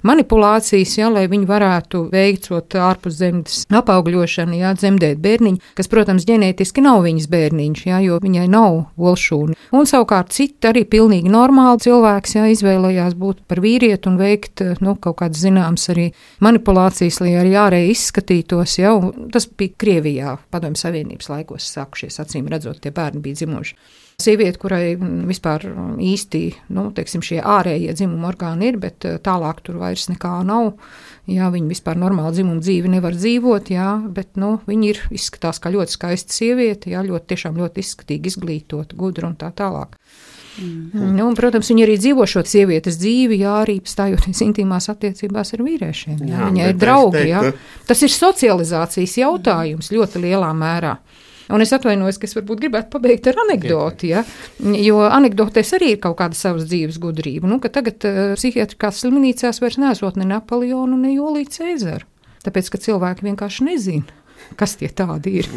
manipulācijas, lai viņi varētu veicot ārpus zemes apaugļošanu, dzemdēt bērniņu, kas, protams, ģenētiski nav viņas bērniņš, jo viņai nav olšūni. Un savukārt citi arī pilnīgi normāli cilvēks, izvēlējās būt par vīrieti un veikt, kaut kādas zināmas arī manipulācijas, lai arī ārēji izskatītos, Tas bija Krievijā, Padomju Savienības laikos sākušies, acīm redzot, tie bērni bija dzimuši. Sieviete, kurai vispār īsti, teiksim, šie ārējie dzimuma orgāni ir, bet tālāk tur vairs nekā nav. Viņa vispār normāli dzimuma dzīvi nevar dzīvot, bet, viņa izskatās kā ļoti skaista sieviete, tiešām ļoti izskatīgi, izglītota, gudra un tā tālāk. Un, protams, viņa arī dzīvo šo sievietes dzīvi, arī stājoties intīmās attiecībās ar vīriešiem. Viņai ir draugi, Tas ir socializācijas jautājums ļoti lielā mērā. Un es atvainojos, ka es varbūt gribētu pabeigt ar anekdoti, jo anekdotēs arī ir kaut kāda savas dzīves gudrība. Ka tagad psihiatriskās slimnīcās vairs nesot ne Napoleonu, ne Juliju Cēzaru. Tāpēc, ka cilvēki vienkārši nezina. kas tie tādi ir.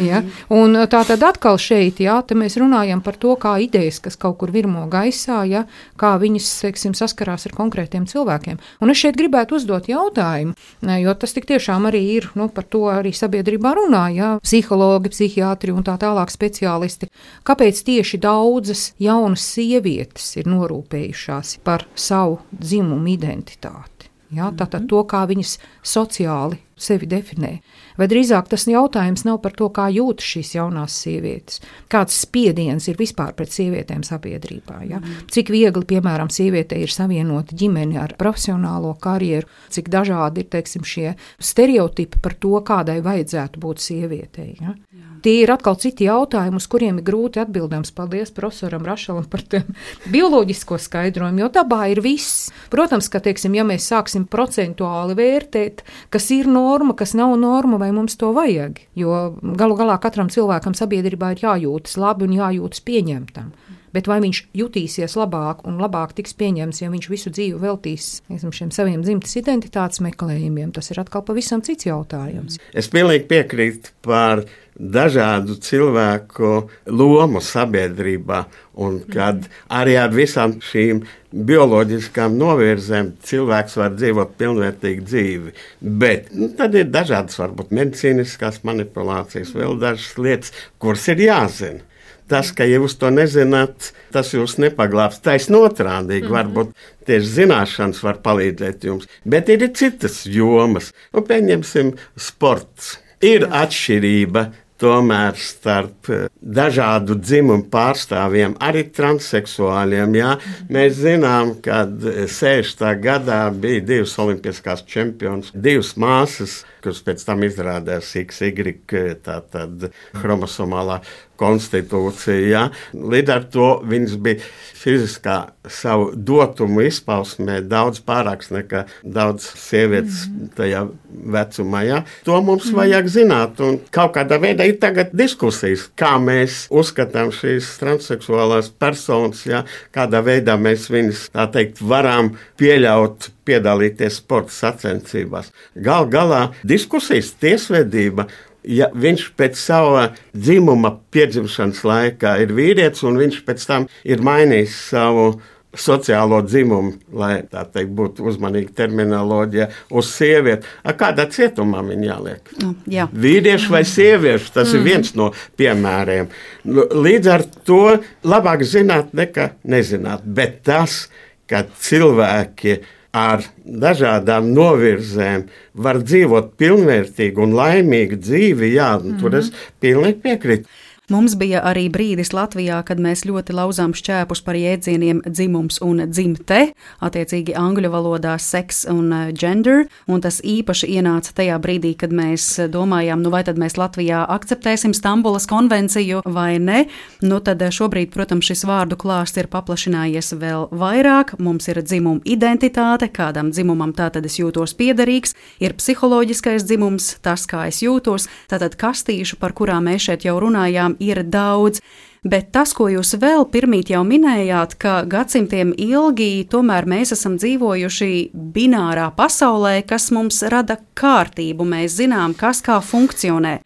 Ja? Un tā tad atkal šeit, te mēs runājam par to, kā idejas, kas kaut kur virmo gaisā, ja? Kā viņas, teiksim, saskarās ar konkrētiem cilvēkiem. Un es šeit gribētu uzdot jautājumu, jo tas tik tiešām arī ir, par to arī sabiedrībā runā, ja? Psihologi, psihiatri un tā tālāk speciālisti. Kāpēc tieši daudzas jaunas sievietes ir norūpējušās par savu dzimumu identitāti? Ja, tātad to, kā viņas sociāli sevi definē. Vai drīzāk tas jautājums nav par to, kā jūtas šīs jaunās sievietes, kāds spiediens ir vispār pret sievietēm sabiedrībā. Ja? Cik viegli, piemēram, sievietei ir savienot ģimeni ar profesionālo karjeru, cik dažādi ir, teiksim, šie stereotipi par to, kādai vajadzētu būt sievietei. Ja? Tie ir atkal citi jautājumi, uz kuriem ir grūti atbildams. Paldies profesoram Rašalam par tiem bioloģisko skaidrojumu, jo dabā ir viss. Protams, ka, teiksim, ja mēs sāksim procentuāli vērtēt, kas ir norma, kas nav norma, vai mums to vajag, jo galu galā katram cilvēkam sabiedrībā ir jājūtas labi un jājūtas pieņemtam. Bet vai viņš jutīsies labāk un labāk tiks pieņemts, ja viņš visu dzīvi veltīs šiem saviem dzimtes identitātes meklējumiem, tas ir atkal pavisam cits jautājums. Es pilnīgi piekrītu par dažādu cilvēku lomu sabiedrībā, un kad arī ar visām šīm bioloģiskām novirzēm cilvēks var dzīvot pilnvērtīgu dzīvi. Bet tad ir dažādas, varbūt medicīniskās manipulācijas, vēl dažas lietas, kuras ir jāzina. Tas, ka jūs to nezināt, tas jūs nepaglābs. Taisnotrādīgi, varbūt tieši zināšanas var palīdzēt jums. Bet ir citas jomas. Pieņemsim sports. Ir atšķirība tomēr starp dažādu dzimumu pārstāvjiem, arī transseksuāļiem. Jā. Mēs zinām, ka 60. gadā bija 2 olimpiskās čempionas, 2 māsas, kuras pēc tam izrādās XY, tātad chromosomālā konstitūcija. Jā. Līdz ar to viņas bija fiziskā savu dotumu izpausmē daudz pārāks nekā daudz sievietes tajā vecumā. Jā. To mums vajag zināt, un kaut kādā veidā ir tagad diskusijas, kā mēs uzskatām šīs transseksuālās personas, jā, kādā veidā mēs viņas, tā teikt, varam pieļaut piedalīties sporta sacensībās. Gal galā diskusijas tiesvedība, ja viņš pēc sava dzimuma piedzimšanas laikā ir vīrietis un viņš pēc tam ir mainījis savu sociālo dzimumu, lai tā teikt būtu uzmanīga terminoloģija, uz sievieti. Kādā cietumā viņa jāliek? Jā. Vīrieši vai sievieši, tas ir viens no piemēriem. Līdz ar to labāk zināt nekā nezināt, bet tas, ka cilvēki ar dažādām novirzēm var dzīvot pilnvērtīgu un laimīgu dzīvi, jā, tur es pilnīgi piekrītu. Mums bija arī brīdis Latvijā, kad mēs ļoti lauzām šķēpus par jēdzieniem dzimums un dzimte, attiecīgi angļu valodā seks un gender, un tas īpaši ienāca tajā brīdī, kad mēs domājām, vai tad mēs Latvijā akceptēsim Stambulas konvenciju vai ne. Tad šobrīd, protams, šis vārdu klāsts ir paplašinājies vēl vairāk. Mums ir dzimuma identitāte, kādam dzimumam tātad es jūtos piederīgs, ir psiholoģiskais dzimums, tas, kā es jūtos, tātad kastīšu, par kurām mēs šeit jau runājām, ir daudz, bet tas, ko jūs vēl pirmīt jau minējāt, ka gadsimtiem ilgi tomēr mēs esam dzīvojuši binārā pasaulē, kas mums rada kārtību, mēs zinām, kas kā funkcionē.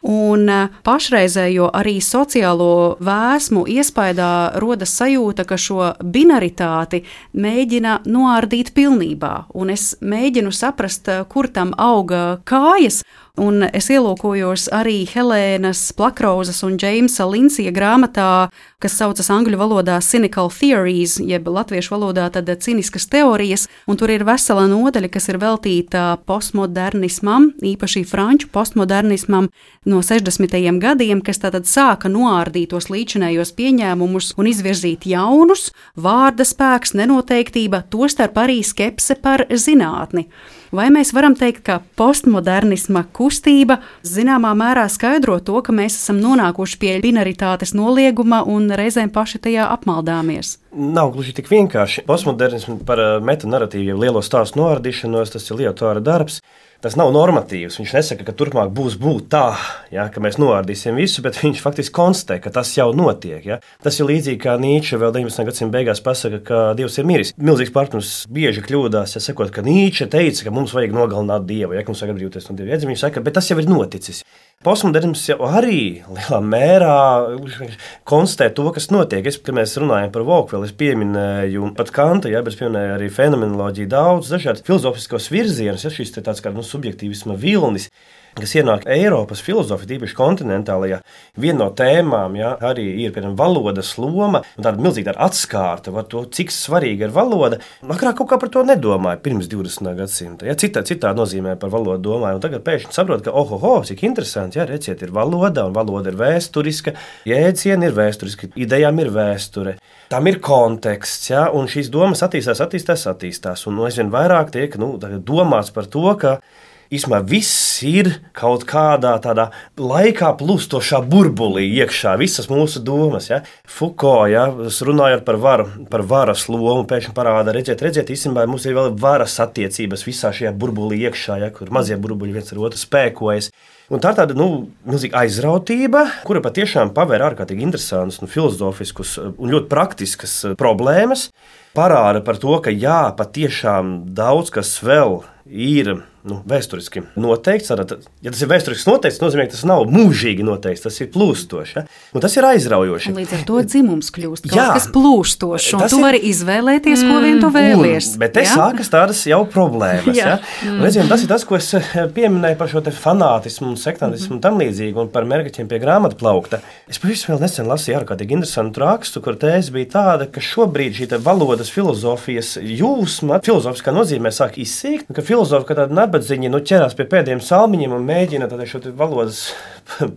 Un pašreizējo arī sociālo vēsmu iespaidā rodas sajūta, ka šo binaritāti mēģina noārdīt pilnībā, un es mēģinu saprast, kur tam auga kājas. Un es ielūkojos arī Helēnas Plakrauzas un Džeimsa Linsija grāmatā, kas saucas angļu valodā Cynical Theories, jeb latviešu valodā tad ciniskas teorijas, un tur ir vesela nodaļa, kas ir veltīta postmodernismam, īpaši franču postmodernismam no 60. gadiem, kas tātad sāka noārdīt tos līdzinējos pieņēmumus un izvirzīt jaunus, vārda spēks, nenoteiktība, tostarp arī skepse par zinātni. Vai mēs varam teikt, ka postmodernisma kustība zināmā mērā skaidro to, ka mēs esam nonākuši pie binaritātes nolieguma un reizēm paši tajā apmaldāmies? Nav gluži tik vienkārši. Postmodernisms par metanarratīvu, jau lielo stāstu noardīšanos, tas ir Liotara darbs. Tas nav normatīvs. Viņš nesaka, ka turpmāk būs tā, ja, ka mēs noārdīsim visu, bet viņš faktiski konstatē, ka tas jau notiek. Ja. Tas ir līdzīgi kā Nīče vēl 19. gadsimta beigās pasaka, ka Dievs ir miris. Milzīgs partners bieži kļūdās, ja sakot, ka Nīče teica, ka mums vajag nogalināt Dievu, ja mums vajag atbrīvoties no Dieva iedzimuma. Viņš saka, bet tas jau ir noticis. Postmodernisms jau arī lielā mērā konstatē to, kas notiek. Kad mēs runājam par Vogtvēlu, es pieminēju pat Kanta, ja, bet es pieminēju arī fenomenoloģiju, daudz dažādu filozofiskos virzienus, ja šis tāds kā subjektīvisma vilnis, kas ienāk Eiropas filozofijā, īpaši kontinentālajā. Viena no tēmām, ja, arī ir, piemēram, valodas loma, un tāda milzīga atskārta par to, cik svarīga ir valoda. Agrāk kaut kā par to nedomāja pirms 20. gadsimta. Ja, citā nozīmē par valodu domāju, un tagad pēkšņi saprot, ka, cik interesanti, ja, reciet, ir valoda, un valoda ir vēsturiska, jēdzieni ir vēsturiski, idejām ir vēsture. Tam ir konteksts, ja, un šīs domas attīstās, un aizvien vairāk tiek domāts par to, ka īsumā viss ir kaut kādā tādā laikā plūstošā burbulī iekšā, visas mūsu domas. Ja? Foucault, ja, runājot par varas lomu, pēkšņi parāda, redziet, īstenībā mums ir vēl varas attiecības visā šajā burbulī iekšā, ja, kur mazie burbuļi viens ar otru spēkojas. Un tā ir tāda milzīga aizrautība, kura patiešām pavēr ārkārtīgi interesantus, filozofiskus un ļoti praktiskas problēmas. Parāda par to, ka jā, patiešām daudz kas vēl ir vēsturiski noteikts. Ja tas ir vēsturiski noteikts, tas nozīmē, ka tas nav mūžīgi noteikts, tas ir plūstošs. Ja? Un tas ir aizraujoši. Un līdz ar to dzimums kļūst kaut kas plūstošs, un tu vari izvēlēties, ko vien tu vēlies. Bet te sākas tādas jau problēmas. Ja? Un, redziet, tas ir tas, ko es pieminēju par šo fanātismu un sektantismu un tam līdzīgi, un par mergaķiem pie grāmatu plaukta. Es pavisam vēl nesen lasīju ārkārtīgi interesantu rakstu, kur tēze bija tāda, ka šobrīd šī valodas filozofijas jūsma, filozofiskā nozīmē sāk izsīkt, ka filozofi, ka tāda nabadzīņi ķerās pie pēdējiem salmiņiem un mēģina šo valodas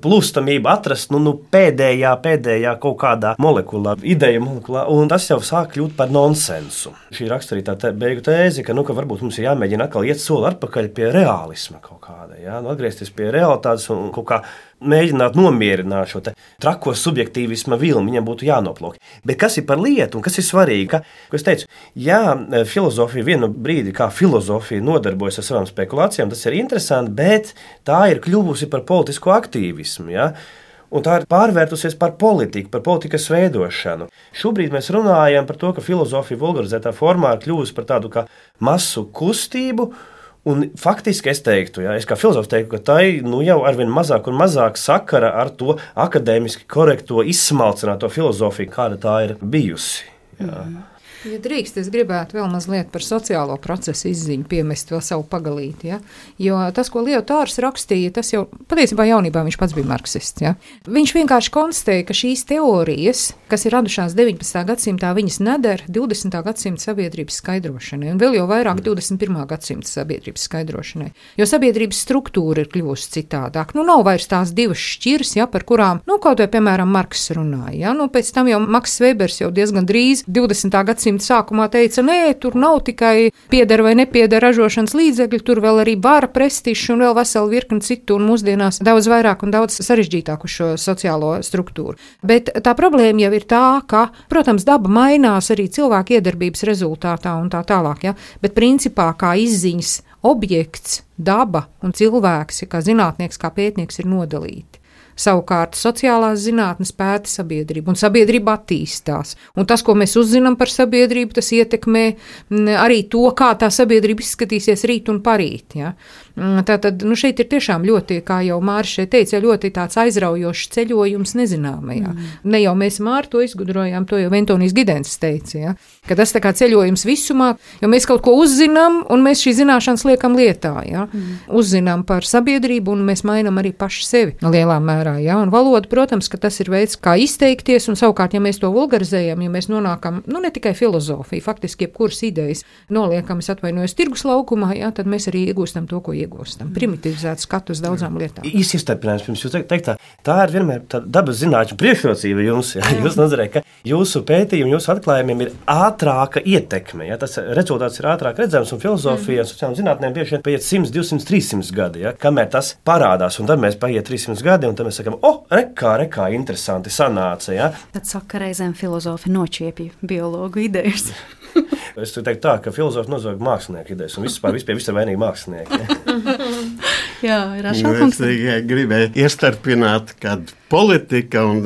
plūstamību atrast pēdējā kaut kādā molekulā, ideja molekulā, un tas jau sāk kļūt par nonsensu. Šī raksturītā beigu tēze, ka varbūt mums ir jāmēģina atkal iet soli atpakaļ pie reālisma kaut kāda, ja? Atgriezties pie realitātes un kaut kā mēģināt nomierināt šo trako subjektīvisma vilni, viņam būtu jānoplok. Bet kas ir par lietu un kas ir svarīgi? Ko es teicu, filozofija vienu brīdi, kā filozofija nodarbojas ar savām spekulācijām, tas ir interesanti, bet tā ir kļuvusi par politisko aktīvismu. Ja? Un tā ir pārvērtusies par politiku, par politikas veidošanu. Šobrīd mēs runājam par to, ka filozofija vulgarizētā formā ir kļuvusi par tādu kā masu kustību. Un faktiski es teiktu, es kā filozofs teiktu, ka tai jau arvien mazāk un mazāk sakara ar to akadēmiski korekto izsmalcināto filozofiju, kāda tā ir bijusi. Jā. Ja drīkst, es gribētu vēl mazliet par sociālo procesu izziņu piemest vēl savu pagalīti. Ja? Jo tas, ko Liotars rakstīja, tas jau patiesībā jaunībā viņš pats bija marksists. Ja? Viņš vienkārši konstatēja, ka šīs teorijas, kas ir radušās 19. gadsimtā, viņas nedara 20. gadsimta sabiedrības skaidrošanai, un vēl jau vairāk 21. gadsimta sabiedrības skaidrošanai. Jo sabiedrības struktūra ir kļuvusi citādāk. Nav vairs tās divas šķiras, ja, par kurām, kaut vai, piemēram, Marks runāja. Ja? Pēc tam jau Maks Vebers jau diezgan drīz 20. gadsimta sākumā teica, nē, tur nav tikai pieder vai nepieder ražošanas līdzekļi, tur vēl arī vara, prestižs un vēl vesela virkni citu, un mūsdienās daudz vairāk un daudz sarežģītāk uz šo sociālo struktūru. Bet tā problēma jau ir tā, ka, protams, daba mainās arī cilvēku iedarbības rezultātā un tā tālāk, ja? Bet principā kā izziņas objekts, daba un cilvēks, kā zinātnieks, kā pētnieks ir nodalīti. Savukārt sociālās zinātnes pēta sabiedrību, un sabiedrība attīstās. Un tas, ko mēs uzzinām par sabiedrību, tas ietekmē arī to, kā tā sabiedrība izskatīsies rīt un parīt. Ja? Tātad šeit ir tiešām ļoti, kā jau Māris šeit teica, ļoti tāds aizraujošs ceļojums nezināmajā. Ne jau mēs Māri to izgudrojām, to jau Antonijs Gidens teica, ja? Ka tas tā kā ceļojums visumā, jo mēs kaut ko uzzinām, un mēs šī zināšanas liekam lietā. Ja? Uzzinām par sabiedrību, un mēs mainām arī paši sevi lielā mērā. Ja? Un valoda, protams, ka tas ir veids, kā izteikties, un savukārt, ja mēs to vulgarizējam, ja mēs nonākam, ne tikai filozofija, faktiski jebkuras idejas noliekam, es atvainojos tirgus laukumā, ja? Tad mēs arī iegūstam to, ko iegūstam. Primitivizēt skatu uz daudzām lietām. Īsts iestarpinājums pirms jūs teiktā, tā ir vienmēr dabas zinātņu priekšrocība jums. Ja? Jūs nozarē, ka jūsu pētījumi, jūsu atklājumiem ir ātrāka ietekme. Ja? Tas rezultāts ir ātrāk redzams, un filozofija, sociālām zinātnēm bieži vien paiet 100, 200, 300 gadi, ja? Kamēr tas parādās, un tad mēs paiet 300 gadi, un tad mēs sakām, rekā, interesanti sanāca. Ja? Tad saka, reizēm filozofi nočiepja biologu idejas. Es teiktu tā, ka filozofi nozog mākslinieku idejas, un vispār ir vainīgi mākslinieki. Jā, ir Rašākungs. Es gribēju iestarpināt, kad politika un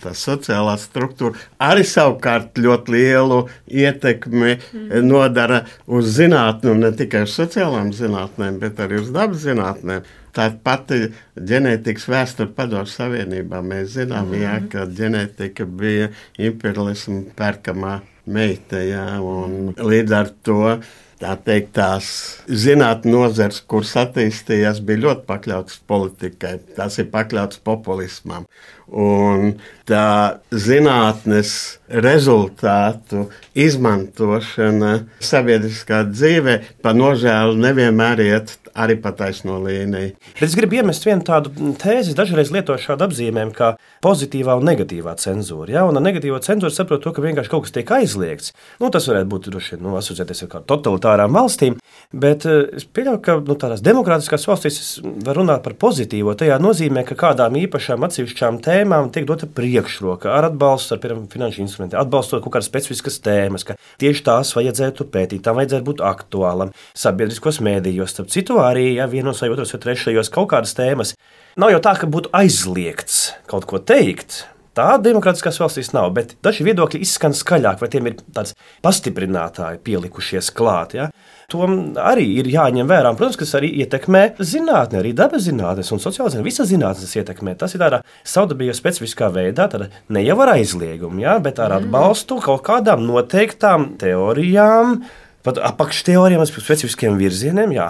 tā sociālā struktūra arī savukārt ļoti lielu ietekmi nodara uz zinātni, un ne tikai uz sociālām zinātnēm, bet arī uz dabas zinātnēm. Tā pati ģenētikas vēsture Padomju Savienībā. Mēs zinām, ka ģenētika bija imperialisma pērkamā meita, un līdz ar to tā teikt, tās zinātnes nozars, kuras attīstījās, bija ļoti pakļautas politikai. Tās ir pakļautas populismam. Un tā zinātnes rezultātu izmantošana sabiedriskā dzīvē, pa nožēlu, nevienmēr iet arī pa taisno līniju. Bet es gribu iemest vienu tādu tēzi, dažreiz lietoju šādu apzīmējumu kā pozitīvā un negatīvā cenzūra. Ja? Un ar negatīvo cenzūru saprot to, ka vienkārši kaut kas tiek aizliegts. Tas varētu būt asociēties ar kādām totalitārām valstīm, bet es pieļauju, ka tādās demokrātiskās valstīs var runāt par pozitīvo. Tajā nozīmē, ka kādām īpašām atsevišķām tēmām tiek dota priekšroka ar atbalstu, ar piemēram finanšu instrumentiem, atbalstot kaut kādas specifiskas tēmas, ka tieši tās vajadzētu pētīt, tām vajadzētu būt aktuālam sabiedriskos mēdījos. Starp citu, arī vienos vai otros vai trešajos kaut kādas tēmas. Nav jau tā, ka būtu aizliegts kaut ko teikt. Tā demokrātiskās valstīs nav, bet daži viedokļi izskan skaļāk, vai tiem ir tāds pastiprinātāji pielikušies klāt. Ja? To arī ir jāņem vērā. Protams, kas arī ietekmē zinātni, arī dabas zinātnes un sociālās zinātnes. Visas zinātnes ietekmē. Tas ir tādā savdabīgā specifiskā veidā, ne jau ar aizliegumu, ja? Bet ar atbalstu kaut kādām noteiktām teorijām, pat apakšteorijām, specifiskiem virzieniem, jā.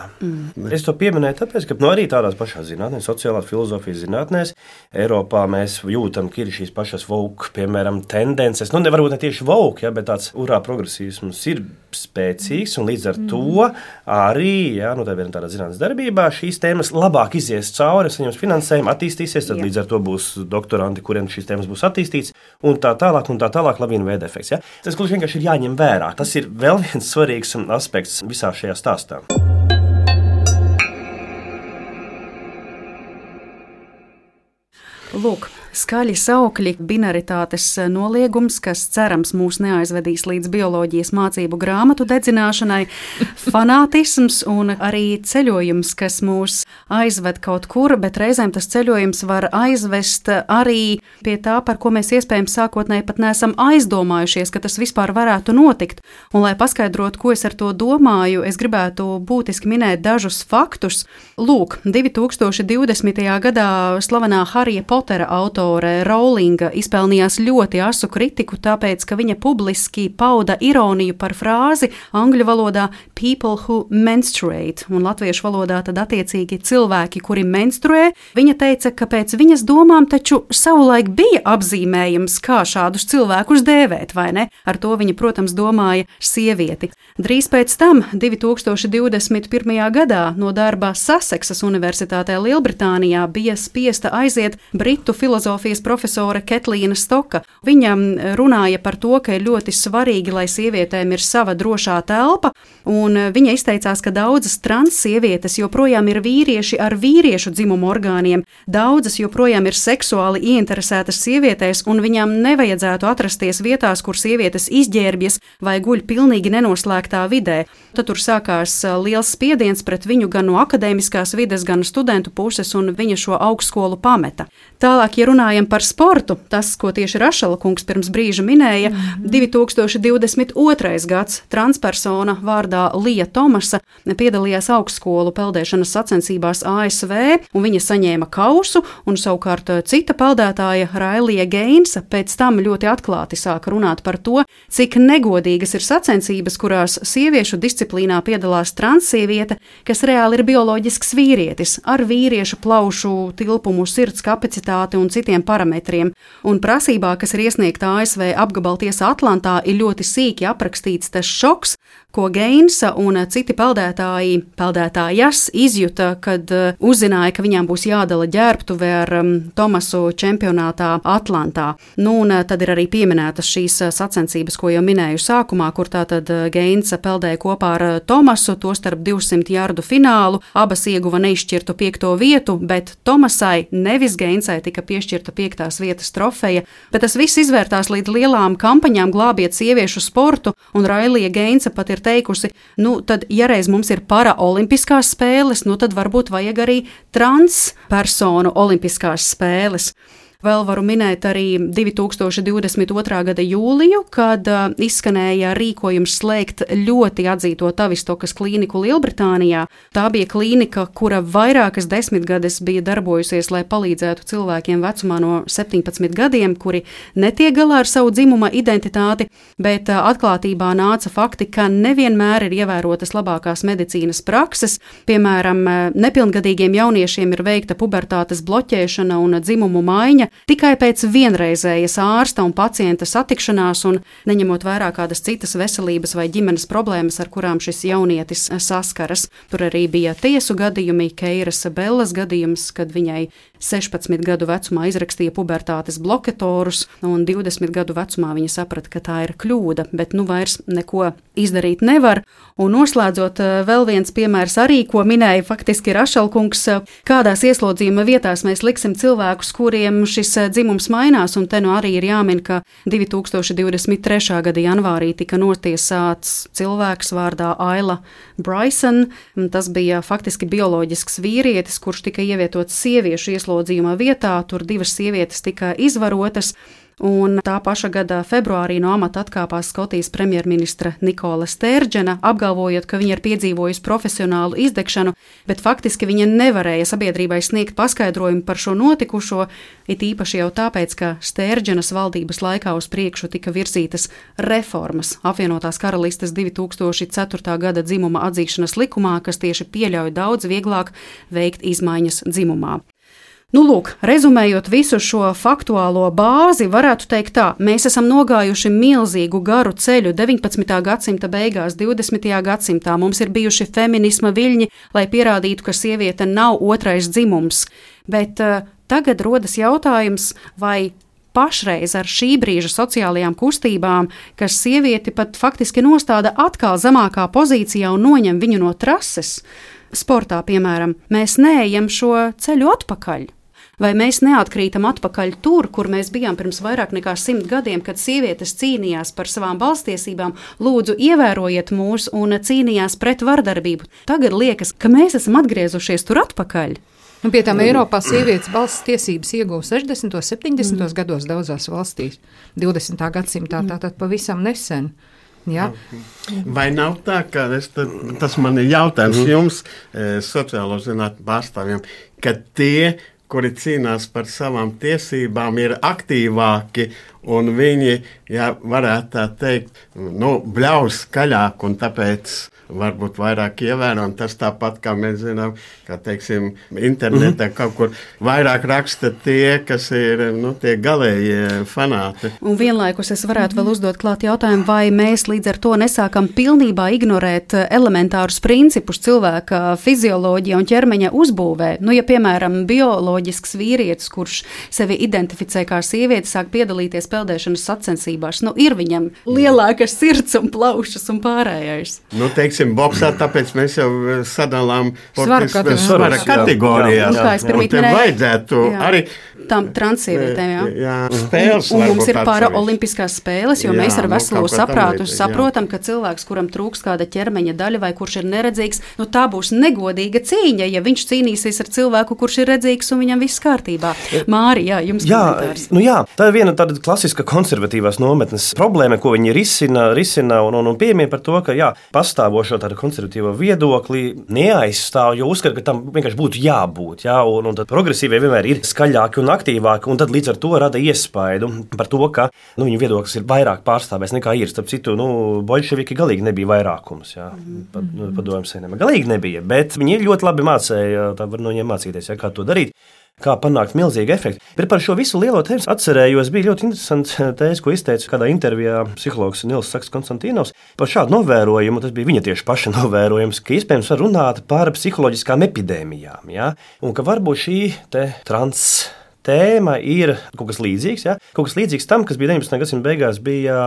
Es to pieminēju tāpēc, ka arī tādās pašās zinātnēs, sociālās filozofijas zinātnēs, Eiropā mēs jūtam, ka ir šīs pašas woke, piemēram, tendences. Nevarbūt ne tieši woke, ja, bet tāds progresīvisms ir spēcīgs, un līdz ar to arī, ja, tādā zinātnes darbībā šīs tēmas labāk izies cauri, saņems finansējumu, attīstīsies, tad līdz ar to būs doktoranti, kuriem šīs tēmas būs attīstīts, un tā tālāk lavīna veida efekts. Ja. Tas gluži vienkārši ir jāņem vērā. Tas ir vēl viens svarīgs aspekts visā šajā stāstā. Lūk, skaļi saukļi, binaritātes noliegums, kas cerams mūs neaizvedīs līdz bioloģijas mācību grāmatu dedzināšanai, fanātisms un arī ceļojums, kas mūs aizved kaut kur, bet reizēm tas ceļojums var aizvest arī pie tā, par ko mēs iespējams sākotnēji pat neesam aizdomājušies, ka tas vispār varētu notikt. Un, lai paskaidrotu, ko es ar to domāju, es gribētu būtiski minēt dažus faktus. Lūk, 2020. gadā slavenā Harija Potera autore Rowlinga izpelnījās ļoti asu kritiku, tāpēc, ka viņa publiski pauda ironiju par frāzi angļu valodā people who menstruate, un latviešu valodā tad attiecīgi cilvēki, kuri menstruē. Viņa teica, ka pēc viņas domām taču savulaik bija apzīmējums, kā šādus cilvēkus dēvēt, vai ne? Ar to viņa, protams, domāja sievieti. Drīz pēc tam, 2021. gadā, no darba Saseksas Universitātē Lielbritānijā bija spiesta aiziet britu filozofijas profesore Ketlīna Stoka. Viņa runāja par to, ka ir ļoti svarīgi, lai sievietēm ir sava drošā telpa, un viņa izteicās, ka daudzas transsievietes joprojām ir vīrieši ar vīriešu dzimumu orgāniem, daudzas joprojām ir seksuāli ieinteresētas sievietēs, un viņām nevajadzētu atrasties vietās, kur sievietes izģērbjas vai guļ pilnīgi nenoslēgtā vidē. Tad tur sākās liels spiediens pret viņu gan no akadēmiskās vides, gan studentu puses, un viņa šo augstskolu pameta. Tālāk, ja runājam par sportu, tas, ko tieši Rašala kungs pirms brīža minēja, 2022. gads transpersona vārdā Lija Tomasa piedalījās augstskolu peldēšanas sacensībās ASV, un viņa saņēma kausu, un savukārt cita peldētāja Railija Geinsa pēc tam ļoti atklāti sāka runāt par to, cik negodīgas ir sacensības, kurās sieviešu disciplīnā piedalās transsieviete, kas reāli ir bioloģisks vīrietis, ar vīriešu plaušu tilpumu, sirds kapacitāti un citiem parametriem. Un prasībā, kas ir iesniegta ASV apgabaltiesā Atlantā, ir ļoti sīki aprakstīts tas šoks, ko Geinsa un citi peldētājas izjuta, kad uzzināja, ka viņām būs jādala ģērbtuve ar Tomasu čempionātā Atlantā. Un tad ir arī pieminētas šīs sacensības, ko jau minēju sākumā, kur tātad Geinsa peldēja kopā ar Tomasu, tostarp 200 jardu finālu. Abas ieguva neizšķirtu 5. vietu, bet Tomasai, nevis Geinsai, tika piešķirta 5. vietas trofeja. Bet tas viss izvērtās līdz lielām kampaņām glābiet sieviešu sportu, un Railija Geinsa pat ir teikusi, tad, ja reiz mums ir paraolimpiskās spēles, tad varbūt vajag arī transpersonu olimpiskās spēles. Vēl varu minēt arī 2022. gada jūliju, kad izskanēja rīkojums slēgt ļoti atzīto Tavistokas klīniku Lielbritānijā. Tā bija klīnika, kura vairākas desmitgades bija darbojusies, lai palīdzētu cilvēkiem vecumā no 17 gadiem, kuri netiek galā ar savu dzimuma identitāti, bet atklātībā nāca fakti, ka nevienmēr ir ievērotas labākās medicīnas prakses. Piemēram, nepilngadīgiem jauniešiem ir veikta pubertātes bloķēšana un dzimumu maiņa, tikai pēc vienreizējas ārsta un pacienta satikšanās un neņemot vērā kādas citas veselības vai ģimenes problēmas, ar kurām šis jaunietis saskaras. Tur arī bija tiesu gadījumi, Keiras Bellas gadījums, kad viņai 16 gadu vecumā izrakstīja pubertātes blokatorus, un 20 gadu vecumā viņa saprata, ka tā ir kļūda, bet vairs neko izdarīt nevar. Un noslēdzot, vēl viens piemērs arī, ko minēja faktiski Rašalkungs, kādās ieslodzījuma vietās mēs liksim cilvēkus, kuriem šis dzimums mainās, un te arī ir jāmin, ka 2023. gada janvārī tika notiesāts cilvēks vārdā Aila Bryson. Tas bija faktiski bioloģisks vīrietis, kurš tika ievietots sieviešu ieslodzījuma vietā, tur 2 sievietes tika izvarotas. Un tā paša gada februārī no amata atkāpās Skotijas premjerministra Nikola Stērģena, apgalvojot, ka viņa ir piedzīvojusi profesionālu izdegšanu, bet faktiski viņa nevarēja sabiedrībai sniegt paskaidrojumu par šo notikušo, it īpaši jau tāpēc, ka Stērģenas valdības laikā uz priekšu tika virzītas reformas apvienotās karalistes 2004. gada dzimuma atzīšanas likumā, kas tieši pieļauj daudz vieglāk veikt izmaiņas dzimumā. Lūk, rezumējot visu šo faktuālo bāzi, varētu teikt tā, mēs esam nogājuši milzīgu garu ceļu 19. gadsimta beigās, 20. gadsimtā. Mums ir bijuši feminisma viļņi, lai pierādītu, ka sieviete nav otrais dzimums. Bet tagad rodas jautājums, vai pašreiz ar šī brīža sociālajām kustībām, kas sievieti pat faktiski nostāda atkal zemākā pozīcijā un noņem viņu no trases, sportā, piemēram, mēs neejam šo ceļu atpakaļ. Vai mēs neatkrītam atpakaļ tur, kur mēs bijām pirms vairāk nekā 100 gadiem, kad sievietes cīnījās par savām balsstiesībām, lūdzu ievērojiet mūs un cīnījās pret vardarbību. Tagad liekas, ka mēs esam atgriezušies tur atpakaļ. Pie tām Eiropā sievietes balss tiesības ieguva 60. un 70. gados daudzās valstīs, 20. gadsimtā, tātad pavisam nesen. Ja? Vai nav tā, ka tas man ir jautājums jums, sociālo zinātņu pārstāvjiem, ka tie, kuri cīnās par savām tiesībām, ir aktīvāki un viņi, ja varētu tā teikt, bļauj skaļāk un tāpēc varbūt vairāk ievēro, un tas tāpat, kā mēs zinām, kā teiksim, internetā kaut kur vairāk raksta tie, kas ir, tie galējie fanāti. Un vienlaikus es varētu vēl uzdot klāt jautājumu, vai mēs līdz ar to nesākam pilnībā ignorēt elementārus principus cilvēka fizioloģija un ķermeņa uzbūvē. Ja, piemēram, bioloģisks vīrietis, kurš sevi identificē kā sievieti, sāk piedalīties peldēšanas sacensībās, ir viņam lielākas sirds un plaušas un pārējais. Boksā, tāpēc mēs jau sadalām svara kategorijās. Un te vajadzētu arī tām transsievietēm, spēles. Un mums ir paraolimpiskās spēles, jo mēs ar veselo saprātu saprotam, ka cilvēks, kuram trūkst kāda ķermeņa daļa vai kurš ir neredzīgs, tā būs negodīga cīņa, ja viņš cīnīsies ar cilvēku, kurš ir redzīgs un viņam viss kārtībā. Māri, jums komentārs. Tā ir viena tāda klasiska konservatīvās nometnes problēma, ko viņi risina un piemina par to, ka pastāvošo tādu konservatīvo viedokli neaizstāv, jo uzskata, ka tam vienkārši būtu jābūt. Un tad progresīvie vienmēr ir skaļāki un aktīvāki, un tad līdz ar to rada iespaidu par to, ka viņu viedoklis ir vairāk pārstāvēs nekā ir. Starp citu, boļševiki galīgi nebija vairākums. Padomju savienībā galīgi nebija, bet viņi ļoti labi mācīja, tā var no viņiem mācīties, kā to darīt. kā panākt milzīgu efektu. Bet par šo visu lielo tēmu atcerējos, bija ļoti interesants tēze, ko izteica kādā intervijā psihologs Nils Saks Konstantīnovs par šādu novērojumu. Tas bija viņa tieši paša novērojums, ka iespējams var runāt par psiholoģiskām epidēmijām, ja? Un ka varbūt šī trans tēma ir kaut kas līdzīgs, ja? Kaut kas līdzīgs tam, kas bija 19. gadsimta beigās, bija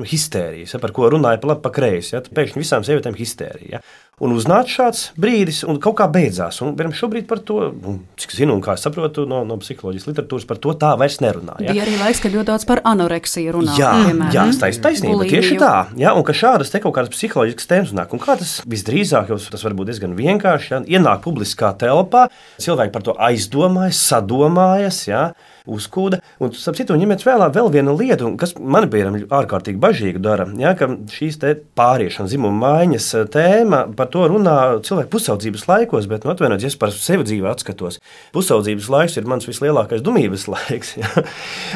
histērijas, ja? Par ko runāja pa labi, pa kreisi. Ja? Pēkšņi visām sievietēm histērija. Ja? Un uznāca šāds brīdis, un kaut kā beidzās. Un šobrīd par to, cik zinu un kā saprotu no psiholoģijas literatūras, par to tā vairs nerunā. Ja? Bija arī laiks, kad ļoti daudz par anoreksiju runā. Jā, taisnība, tieši tā. Ja? Un ka šādas te kaut kādas psiholoģiskas tēmas nāk. Un kā tas visdrīzāk, jo tas var būt diezgan vienkārši, ja? Ienāk publiskā telpā, cilvēki par to aizdomājas, sadomājas, ja? Uzkūda. Un, sapcitu, ņemiet vērā vēl vienu lietu, kas man bija ārkārtīgi bažīgu dara, ja, ka šīs te pāriešana, dzimuma maiņas tēma, par to runā cilvēku pusaudzības laikos, bet, atvainojiet, ja es par sevi dzīvē atskatos, pusaudzības laiks ir mans vislielākais dumības laiks. Ja.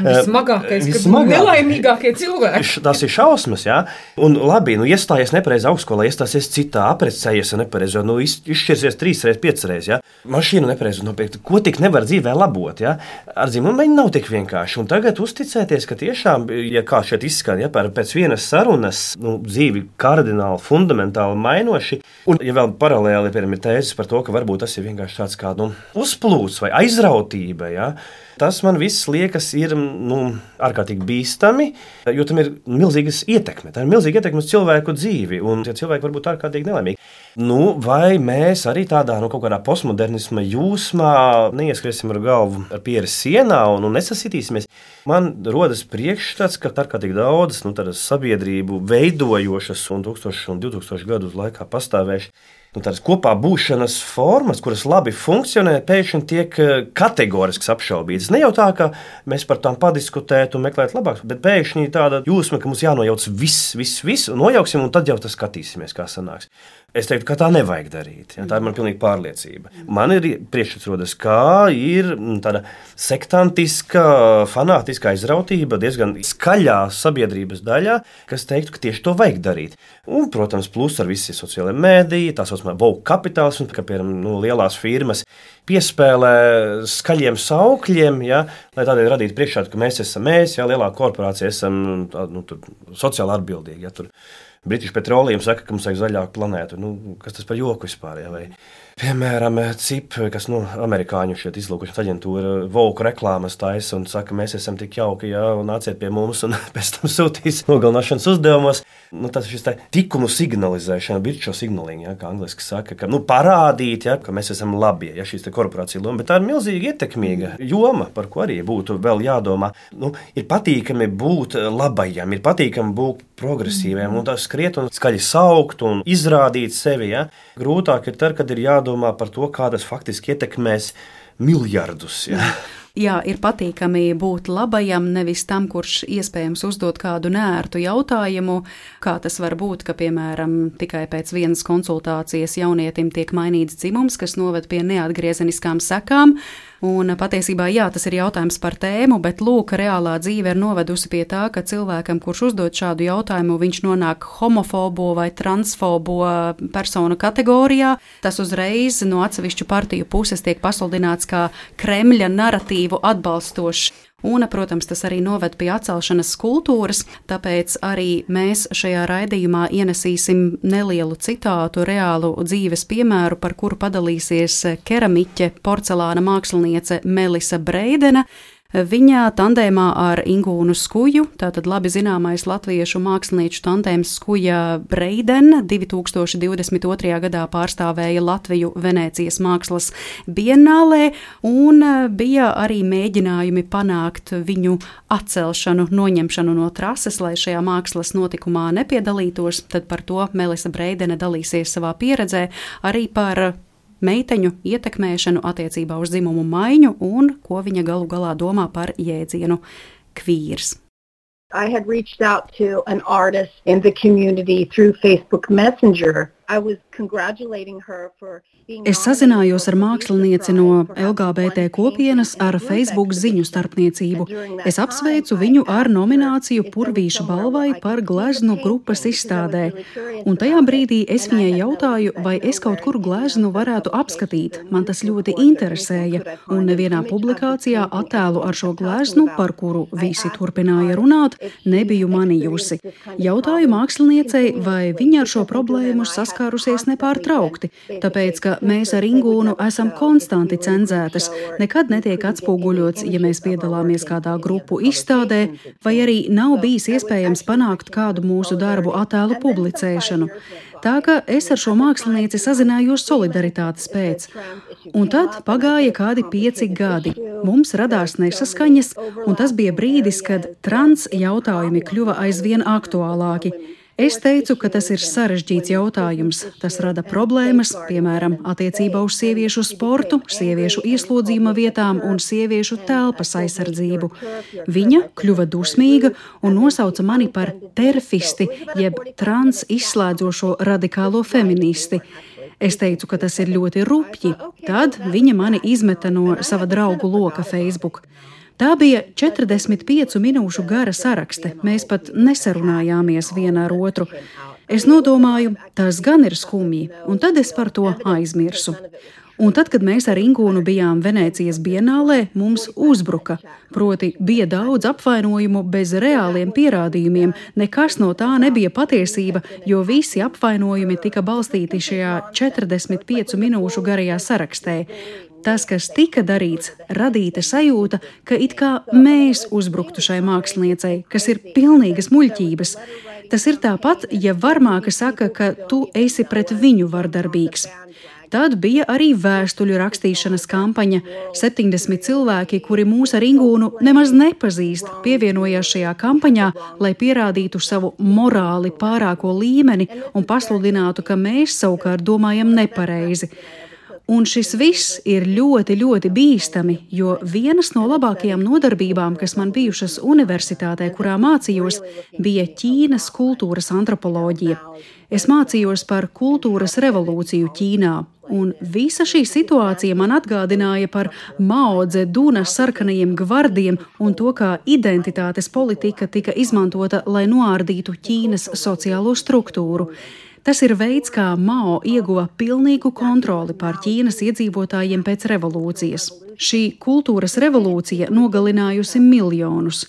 Vismagākais, kad nelaimīgākie cilvēki. Tas ir šausmas, ja. Un labi, iestājies nepareizi augstskolā, iestāsies citā, aprecējies nepareizi, izšķirsies 3 reizes, 5 reizes, ja. Mašīnu nepareizi nopirkt, ko tik nevar dzīvē labot, ja. Ar dzimumu maiņu nav tik vienkārši. Un tagad uzticēties, ka tiešām, ja kā šeit izskan, ja pēc vienas sarunas dzīvi kardināli, fundamentāli mainoši, un ja vēl paralēli, piemēram, ir tēzes par to, ka varbūt tas ir vienkārši tāds kā uzplūds vai aizrautība, ja, tas man viss liekas ir ārkārtīgi bīstami, jo tam ir milzīgas ietekme. Tā ir milzīga ietekme uz cilvēku dzīvi, un tie cilvēki var būt ārkārtīgi nelaimīgi. Vai mēs arī tādā kaut kādā postmodernisma jūsmā neieskriesim ar galvu ar pieri sienā un nesasitīsimies? Man rodas priekšstats, ka ārkārtīgi daudzas sabiedrību veidojošas un 1000 un 2000 gadu laikā pastāvējušas tādas kopā būšanas formas, kuras labi funkcionē, pēkšņi tiek kategoriski apšaubītas. Ne jau tā, ka mēs par tām padiskutētu un meklētu labāk, bet pēkšņi tāda jūsma, ka mums jānojauc viss, nojauksim un tad jau tas skatīsimies, kā sanāks. Es teiktu, ka tā nevajag darīt. Ja, tā ir man pilnīga pārliecība. Man ir priekšstats rodas, kā ir tāda sektantiska, fanātiska aizrautība diezgan skaļā sabiedrības daļā, kas teiktu, ka tieši to vajag darīt. Un, protams, plus ar visi sociālajie mēdīji, tā saucamā woke kapitālisms, ka, piemēram, lielās firmas piespēlē skaļiem saukļiem, ja, lai tādēļ radītu priekšstātu, ka mēs esam ja, lielā korporācija, esam sociāli atbildīgi. Ja, British Petroleum saka, ka mums vajag zaļāku planētu. Kas tas par joku vispār? Ja? Vai, piemēram, CIP, kas amerikāņu šeit izlūkošanas aģentūra, Volku reklāmas taisa un saka, mēs esam tik jauki, ja, un nāciet pie mums un pēc tam sūtīs nogalināšanas uzdevumos. Tas ir šis tikumu signalizēšana, virtual signaling, ja, kā angliski saka, ka parādīt, ja, ka mēs esam labi, ja šīs korporācija loma, bet tā ir milzīgi ietekmīga joma, par ko arī būtu vēl jādomā. Ir patīkami būt labajam, ir patīkami būt progresīviem, un tas skriet un skaļi saukt un izrādīt sevi. Ja. Grūtāk ir tad, kad ir jādomā par to, kā tas faktiski ietekmēs miljardus. Ja. Jā, ir patīkami būt labajam, nevis tam, kurš iespējams uzdot kādu neērtu jautājumu, kā tas var būt, ka, piemēram, tikai pēc vienas konsultācijas jaunietim tiek mainīts dzimums, kas noved pie neatgriezeniskām sekām. Un patiesībā, jā, tas ir jautājums par tēmu, bet lūk, reālā dzīve ir novedusi pie tā, ka cilvēkam, kurš uzdod šādu jautājumu, viņš nonāk homofobo vai transfobo personu kategorijā. Tas uzreiz no atsevišķu partiju puses tiek pasludināts kā Kremļa naratīvu atbalstošs. Un, protams, tas arī noved pie atcelšanas kultūras, tāpēc arī mēs šajā raidījumā ienesīsim nelielu citātu, reālu dzīves piemēru, par kuru padalīsies keramiķe, porcelāna māksliniece Melisa Breidena. Viņa tandēmā ar Ingūnu Skuju, tātad labi zināmais latviešu mākslinieču tandēms Skuja Breidena, 2022. gadā pārstāvēja Latviju Venēcijas mākslas bienālē, un bija arī mēģinājumi panākt viņu atcelšanu, noņemšanu no trases, lai šajā mākslas notikumā nepiedalītos. Tad par to Melisa Breidena dalīsies savā pieredzē, arī par meiteņu ietekmēšanu attiecībā uz dzimumu maiņu un ko viņa galu galā domā par jēdzienu kvīrs. I had reached out to an artist in the community through Facebook Messenger. Es sazinājos ar mākslinieci no LGBT kopienas ar Facebook ziņu starpniecību. Es apsveicu viņu ar nomināciju Purvīša balvai par gleznu grupas izstādē. Un tajā brīdī es viņai jautāju, vai es kaut kur gleznu varētu apskatīt. Man tas ļoti interesēja. Un nevienā publikācijā attēlu ar šo gleznu, par kuru visi turpināja runāt, nebiju manījusi. Jautāju māksliniecei, vai viņa ar šo problēmu saskārusies nepārtraukti, tāpēc, ka mēs ar Ingūnu esam konstanti cenzētas, nekad netiek atspoguļots, ja mēs piedalāmies kādā grupu izstādē, vai arī nav bijis iespējams panākt kādu mūsu darbu attēlu publicēšanu. Tā ka es ar šo mākslinieci sazinājos solidaritātes pēc. Un tad pagāja kādi 5 gadi. Mums radās nesaskaņas, un tas bija brīdis, kad trans jautājumi kļuva aizvien aktuālāki. Es teicu, ka tas ir sarežģīts jautājums. Tas rada problēmas, piemēram, attiecībā uz sieviešu sportu, sieviešu ieslodzījuma vietām un sieviešu telpas aizsardzību. Viņa kļuva dusmīga un nosauca mani par terfisti, jeb trans izslēdzošo radikālo feministi. Es teicu, ka tas ir ļoti rupji. Tad viņa mani izmeta no sava draugu loka Facebook. Tā bija 45 minūšu gara sarakste. Mēs pat nesarunājāmies viena ar otru. Es nodomāju, tas gan ir skumji, un tad es par to aizmirsu. Un tad, kad mēs ar Ingūnu bijām Venēcijas bienālē, mums uzbruka. Proti, bija daudz apvainojumu bez reāliem pierādījumiem. Nekas no tā nebija patiesība, jo visi apvainojumi tika balstīti šajā 45 minūšu garajā sarakstē. Tas, kas tika darīts, radīta sajūta, ka it kā mēs uzbruktu šai māksliniecei, kas ir pilnīgas muļķības. Tas ir tāpat, ja varmāka saka, ka tu esi pret viņu vardarbīgs. Tad bija arī vēstuļu rakstīšanas kampaņa. 70 cilvēki, kuri mūs ar Ingūnu nemaz nepazīst, pievienojās šajā kampaņā, lai pierādītu savu morāli pārāko līmeni un pasludinātu, ka mēs savukārt domājam nepareizi. Un šis viss ir ļoti, ļoti bīstami, jo vienas no labākajām nodarbībām, kas man bijušas universitātē, kurā mācījos, bija Ķīnas kultūras antropoloģija. Es mācījos par kultūras revolūciju Ķīnā, un visa šī situācija man atgādināja par Mao Dzeduna sarkanajiem gvardiem un to, kā identitātes politika tika izmantota, lai noārdītu Ķīnas sociālo struktūru. Tas ir veids, kā Mao ieguva pilnīgu kontroli pār Ķīnas iedzīvotājiem pēc revolūcijas. Šī kultūras revolūcija nogalinājusi miljonus.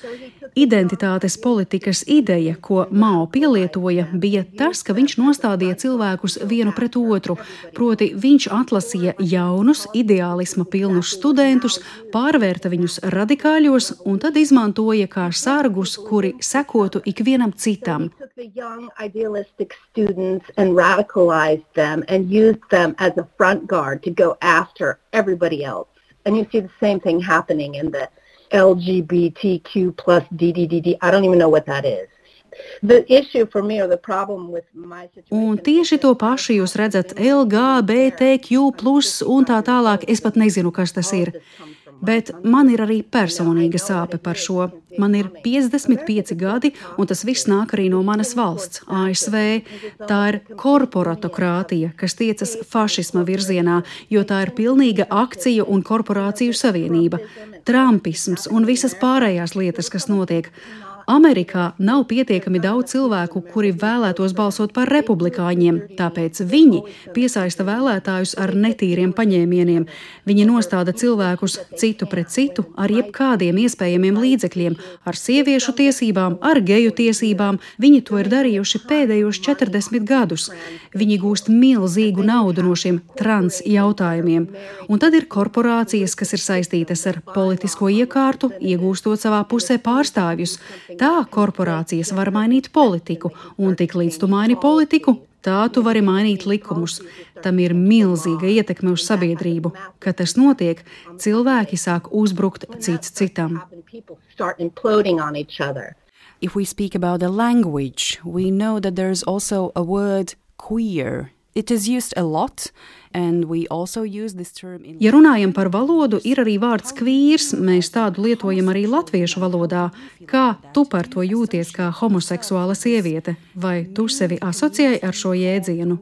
Identitātes politikas ideja, ko Mao pielietoja, bija tas, ka viņš nostādīja cilvēkus vienu pret otru, proti viņš atlasīja jaunus, ideālisma pilnus studentus, pārvērta viņus radikāļos un tad izmantoja kā sargus, kuri sekotu ikvienam citam. The young idealistic students and radicalized them and used them as a front guard to go after everybody else. And you see the same thing happening in the LGBTQ plus DDDD. I don't even know what that is. The issue for me or the problem with my situation. Un tieši to pašu jūs redzat LGBTQ plus un tā tālāk. Es pat nezinu, kas tas ir. Bet man ir arī personīga sāpe par šo. Man ir 55 gadi, un tas viss nāk arī no manas valsts, ASV. Tā ir korporatokrātija, kas tiecas fašisma virzienā, jo tā ir pilnīga akciju un korporāciju savienība, trumpisms un visas pārējās lietas, kas notiek. Amerikā nav pietiekami daudz cilvēku, kuri vēlētos balsot par republikāņiem, tāpēc viņi piesaista vēlētājus ar netīriem paņēmieniem. Viņi nostāda cilvēkus citu pret citu ar jebkādiem iespējamiem līdzekļiem, ar sieviešu tiesībām, ar geju tiesībām. Viņi to ir darījuši pēdējos 40 gadus. Viņi gūst milzīgu naudu no šiem trans jautājumiem. Un tad ir korporācijas, kas ir saistītas ar politisko iekārtu, iegūstot savā pusē pārstāvjus. Tā korporācijas var mainīt politiku, un tik līdz tu maini politiku, tā tu vari mainīt likumus. Tam ir milzīga ietekme uz sabiedrību. Kad tas notiek, cilvēki sāk uzbrukt cits citam. If we speak about the language, we know that there's also a word queer. It is used a lot, and we also use this term in... Ja runājam par valodu, ir arī vārds kvīrs, mēs tādu lietojam arī latviešu valodā. Kā tu par to jūties kā homoseksuāla sieviete? Vai tu sevi asociēji ar šo jēdzienu?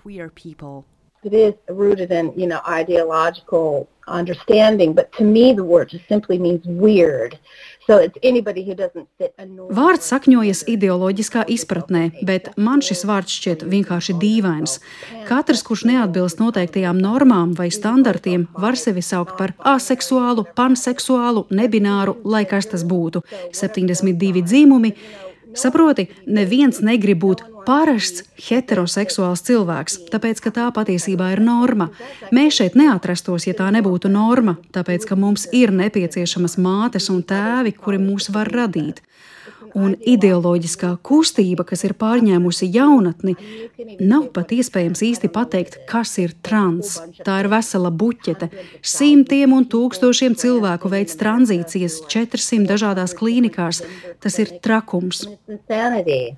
queer people. It is rooted in, ideological understanding, but to me the word just simply means weird. So it's anybody who doesn't fit a norm. Vārds sakņojas ideoloģiskā izpratnē, bet man šis vārds šķiet vienkārši dīvains. Katrs, kurš neatbilst noteiktajām normām vai standartiem, var sevi saukt par aseksuālu, panseksuālu, nebināru, lai kas tas būtu. 72 dzīmumi. Saproti, neviens negrib būt parasts heteroseksuāls cilvēks, tāpēc, ka tā patiesībā ir norma. Mēs šeit neatrastos, ja tā nebūtu norma, tāpēc, ka mums ir nepieciešamas mātes un tēvi, kuri mūs var radīt. Un ideoloģiskā kustība, kas ir pārņēmusi jaunatni, nav pat iespējams īsti pateikt, kas ir trans. Tā ir vesela buķete. Simtiem un tūkstošiem cilvēku veids tranzīcijas 400 dažādās klīnikās. Tas ir trakums.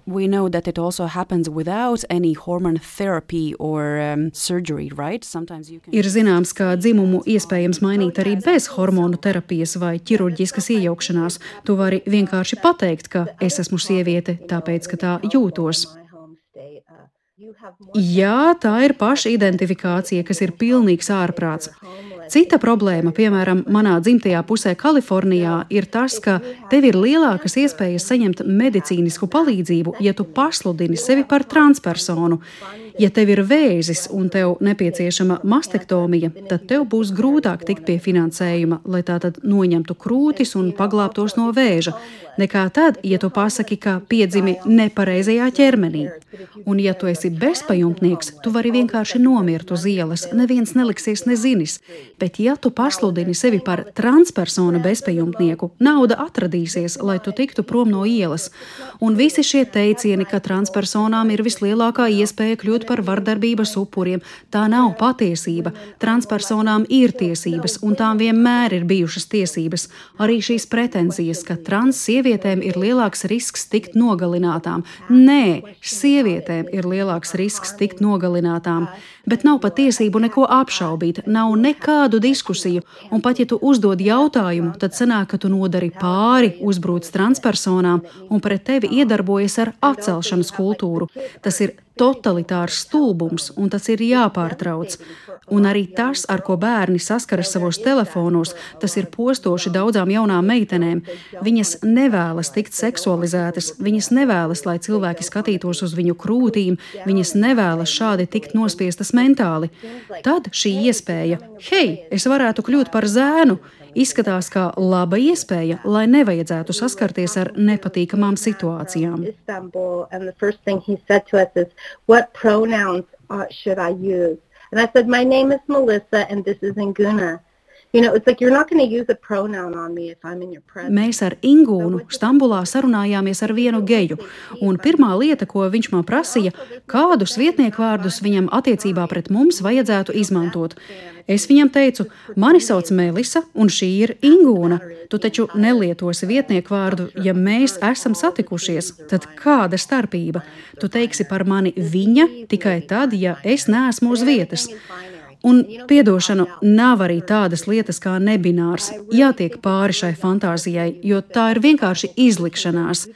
We know that it also happens without any hormone therapy or surgery, right? Sometimes you can... Ir zināms, ka dzimumu iespējams mainīt arī bez hormonu terapijas vai ķirurģiskas iejaukšanās. Tu vari vienkārši pateikt, ka es esmu sieviete, tāpēc, ka tā jūtos. Jā, tā ir pašidentifikācija, kas ir pilnīgs ārprāts. Cita problēma, piemēram, manā dzimtajā pusē Kalifornijā, ir tas, ka tev ir lielākas iespējas saņemt medicīnisku palīdzību, ja tu pasludini sevi par transpersonu. Ja tev ir vēzis un tev nepieciešama mastektomija, tad tev būs grūtāk tikt pie finansējuma, lai tā tad noņemtu krūtis un paglābtos no vēža, nekā tad, ja tu pasaki, ka piedzimi nepareizajā ķermenī. Un ja tu esi bezpajumtnieks, tu vari vienkārši nomirt uz ielas, neviens neliksies nezinis. Bet ja tu pasludini sevi par transpersonu bezpajumtnieku, nauda atradīsies, lai tu tiktu prom no ielas. Un visi šie teicieni, ka transpersonām ir vislielākā iespēja kļūt par vardarbības upuriem, tā nav patiesība. Transpersonām ir tiesības, un tām vienmēr ir bijušas tiesības. Arī šīs pretenzijas, ka trans sievietēm ir lielāks risks tikt nogalinātām. Nē, sievietēm ir lielāks risks tikt nogalinātām. Bet nav pat tiesību neko apšaubīt, nav nekādu diskusiju, un pat ja tu uzdod jautājumu, tad sanāk, ka tu nodari pāri, uzbrūc transpersonām un pret tevi iedarbojas ar atcelšanas kultūru. Tas ir totalitārs stulbums, un tas ir jāpārtrauc. Un arī tas, ar ko bērni saskaras savos telefonos, tas ir postoši daudzām jaunām meitenēm. Viņas nevēlas tikt seksualizētas, viņas nevēlas, lai cilvēki skatītos uz viņu krūtīm, viņas nevēlas šādi tikt nospiestas mentāli. Tad šī iespēja, hei, es varētu kļūt par zēnu, izskatās kā laba iespēja, lai nevajadzētu saskarties ar nepatīkamām situācijām. What pronouns should I use? And I said, my name is Melissa and this is Inguna. It's like you're not going to use a pronoun on me if I'm in your presence. Mēs ar Ingūnu Stambulā sarunājāmies ar vienu geju, un pirmā lieta, ko viņš man prasīja, kādus vietniekvārdus viņam attiecībā pret mums vajadzētu izmantot. Es viņam teicu, mani sauc Melisa, un šī ir Ingūna. Tu taču nelietosi vietniekvārdu, ja mēs esam satikušies. Tad kāda starpība? Tu teiksi par mani viņa tikai tad, ja es neesmu uz vietas. Un, piedošanu, nav arī tādas lietas kā nebinārs. Jātiek pāri šai fantāzijai, jo tā ir vienkārši izlikšanās.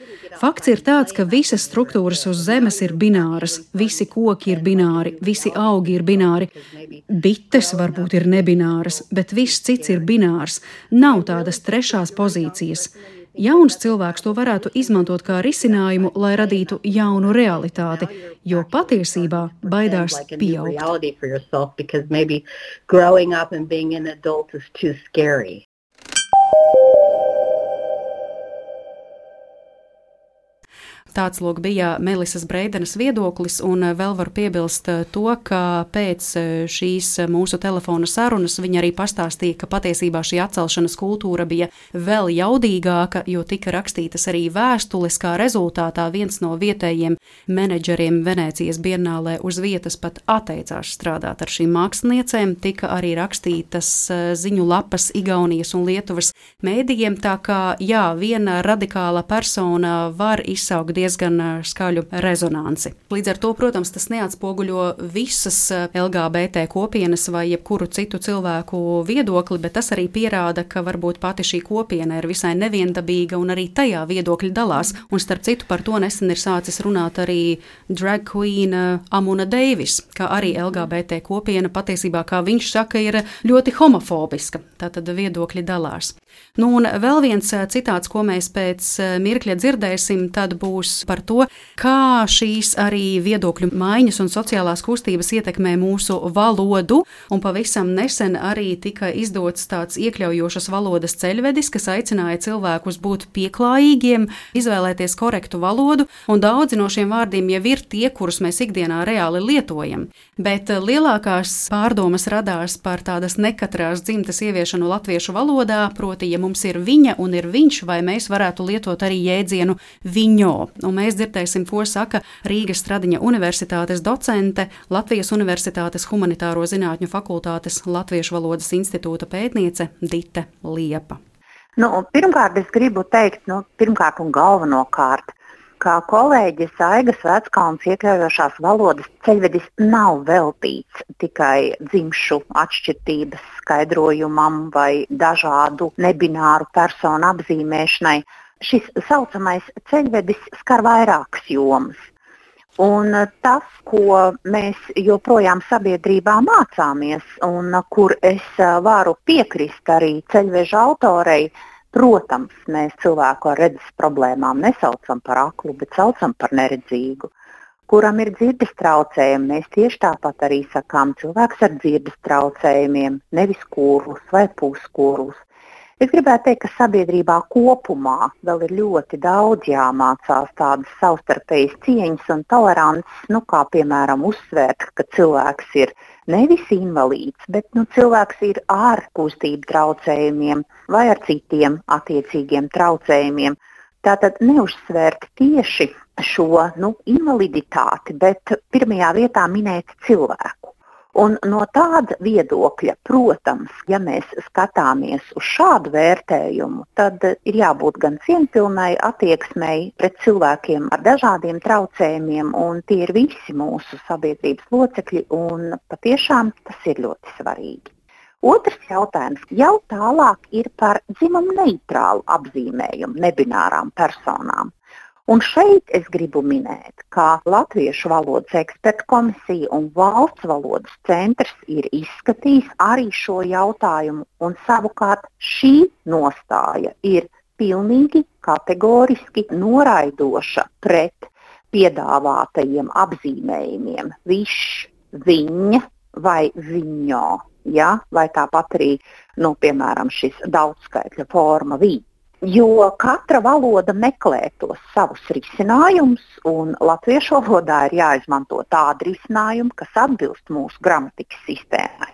Fakts ir tāds, ka visas struktūras uz zemes ir bināras, visi koki ir bināri, visi augi ir bināri. Bites varbūt ir nebināras, bet viss cits ir binārs. Nav tādas trešās pozīcijas. Jauns cilvēks to varētu izmantot kā risinājumu, lai radītu jaunu realitāti, jo patiesībā baidās pieaugt. Tāds lūk bija Melisas Breidenas viedoklis, un vēl var piebilst to, ka pēc šīs mūsu telefona sarunas viņa arī pastāstīja, ka patiesībā šī atcelšanas kultūra bija vēl jaudīgāka, jo tika rakstītas arī vēstules, kā rezultātā viens no vietējiem menedžeriem Venēcijas bienālē uz vietas pat atteicās strādāt ar šīm māksliniecēm, tika arī rakstītas ziņu lapas Igaunijas un Lietuvas mēdījiem, tā kā jā, viena radikāla persona var izsaukt diezgan skaļu rezonanci. Līdz ar to, protams, tas neatspoguļo visas LGBT kopienas vai jebkuru citu cilvēku viedokli, bet tas arī pierāda, ka varbūt pati šī kopiena ir visai neviendabīga un arī tajā viedokļi dalās. Un starp citu par to nesen ir sācis runāt arī drag queen Amuna Deivis, ka arī LGBT kopiena patiesībā, kā viņš saka, ir ļoti homofobiska. Tātad viedokļi dalās. Nu, un vēl viens citāts, ko mēs pēc mirkļa dzirdēsim, tad būs par to, kā šīs arī viedokļu maiņas un sociālās kustības ietekmē mūsu valodu, un pavisam nesen arī tika izdots tāds iekļaujošas valodas ceļvedis, kas aicināja cilvēkus būt pieklājīgiem, izvēlēties korektu valodu, un daudzi no šiem vārdiem jau ir tie, kurus mēs ikdienā reāli lietojam. Bet lielākās pārdomas radās par tādas nekatrās dzimtas ieviešanu latviešu valodā, proti, ja mums ir viņa un ir viņš, vai mēs varētu lietot arī jēdzienu viņo. Un mēs dzirdēsim, ko saka Rīgas Stradiņa universitātes docente, Latvijas Universitātes humanitāro zinātņu fakultātes Latviešu valodas institūta pētniece Dite Liepa. Pirmkārt, es gribu teikt, pirmkārt un galvenokārt, kā kolēģis Aigas Veckalns iekļaujošās valodas ceļvedis nav veltīts tikai dzimšu atšķirtības skaidrojumam vai dažādu nebināru personu apzīmēšanai. Šis saucamais ceļvedis skar vairākas jomas. Un tas, ko mēs joprojām sabiedrībā mācāmies un kur es varu piekrist arī ceļveža autorei, protams, mēs cilvēku ar redzes problēmām nesaucam par aklu, bet saucam par neredzīgu. Kuram ir dzirdes traucējumi, mēs tieši tāpat arī sakām cilvēks ar dzirdes traucējumiem, nevis kurlus vai puskurlus. Es gribētu teikt, ka sabiedrībā kopumā vēl ir ļoti daudz jāmācās tādas savstarpējas cieņas un tolerances, kā piemēram uzsvērt, ka cilvēks ir nevis invalīds, bet cilvēks ir ar kustību traucējumiem vai ar citiem attiecīgiem traucējumiem. Tātad neuzsvērt tieši šo invaliditāti, bet pirmajā vietā minēt cilvēku. Un no tāda viedokļa, protams, ja mēs skatāmies uz šādu vērtējumu, tad ir jābūt gan cieņpilnai attieksmei pret cilvēkiem ar dažādiem traucējumiem, un tie ir visi mūsu sabiedrības locekļi, un patiešām tas ir ļoti svarīgi. Otrs jautājums jau tālāk ir par dzimumu neitrālu apzīmējumu nebinārām personām. Un šeit es gribu minēt, ka Latviešu valodas ekspertu komisija un Valsts valodas centrs ir izskatījis arī šo jautājumu, un savukārt šī nostāja ir pilnīgi kategoriski noraidoša pret piedāvātajiem apzīmējumiem višs, viņa vai viņo, vai tāpat arī, piemēram, šis daudzskaitļa forma viņi. Jo katra valoda meklē tos savus risinājumus, un latviešu valodā ir jāizmanto tādi risinājumi, kas atbilst mūsu gramatikas sistēmai.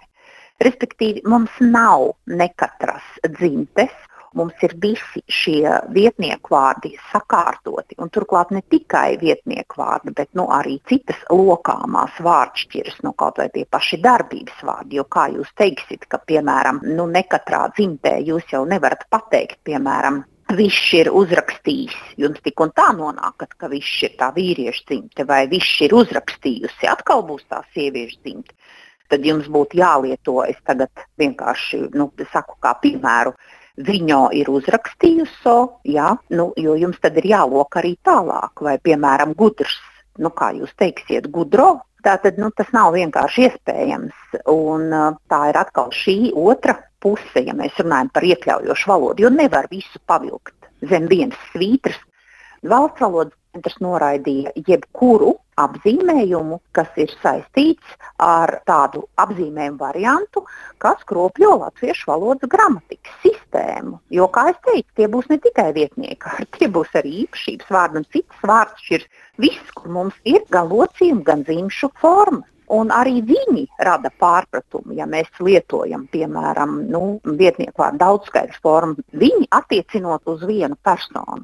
Respektīvi, mums nav nekatras dzimtes, mums ir visi šie vietnieku vārdi sakārtoti, un turklāt ne tikai vietnieku vārdi, bet arī citas lokāmās vārdšķiras, kaut vai tie paši darbības vārdi, jo kā jūs teiksit, ka, piemēram, ne katrā dzimtē jūs jau nevarat pateikt, piemēram, višs ir uzrakstījis, jums tik un tā nonākat, ka višs ir tā vīriešu dzimte, vai višs ir uzrakstījusi, atkal būs tā sieviešu dzimte. Tad jums būtu jālieto, es tagad vienkārši saku kā piemēru, viņo ir uzrakstījusi, jo jums tad ir jālok arī tālāk, vai, piemēram, gudrs, kā jūs teiksiet, gudro, tātad, tas nav vienkārši iespējams, un tā ir atkal šī otra puse, ja mēs runājam par iekļaujošu valodu, jo nevar visu pavilkt zem vienas svītras. Valsts valodas centrs noraidīja jebkuru apzīmējumu, kas ir saistīts ar tādu apzīmējumu variantu, kas kropļo latviešu valodas gramatikas sistēmu. Jo, kā es teicu, tie būs ne tikai vietnieki, tie būs arī īpašības vārdi un citas vārdšķiras. Viss, kur mums ir gan locījumi, gan dzimšu formas. Un arī viņi rada pārpratumu, ja mēs lietojam, piemēram, vietnieku vārdu daudzskaitļu formu, viņi attiecinot uz vienu personu.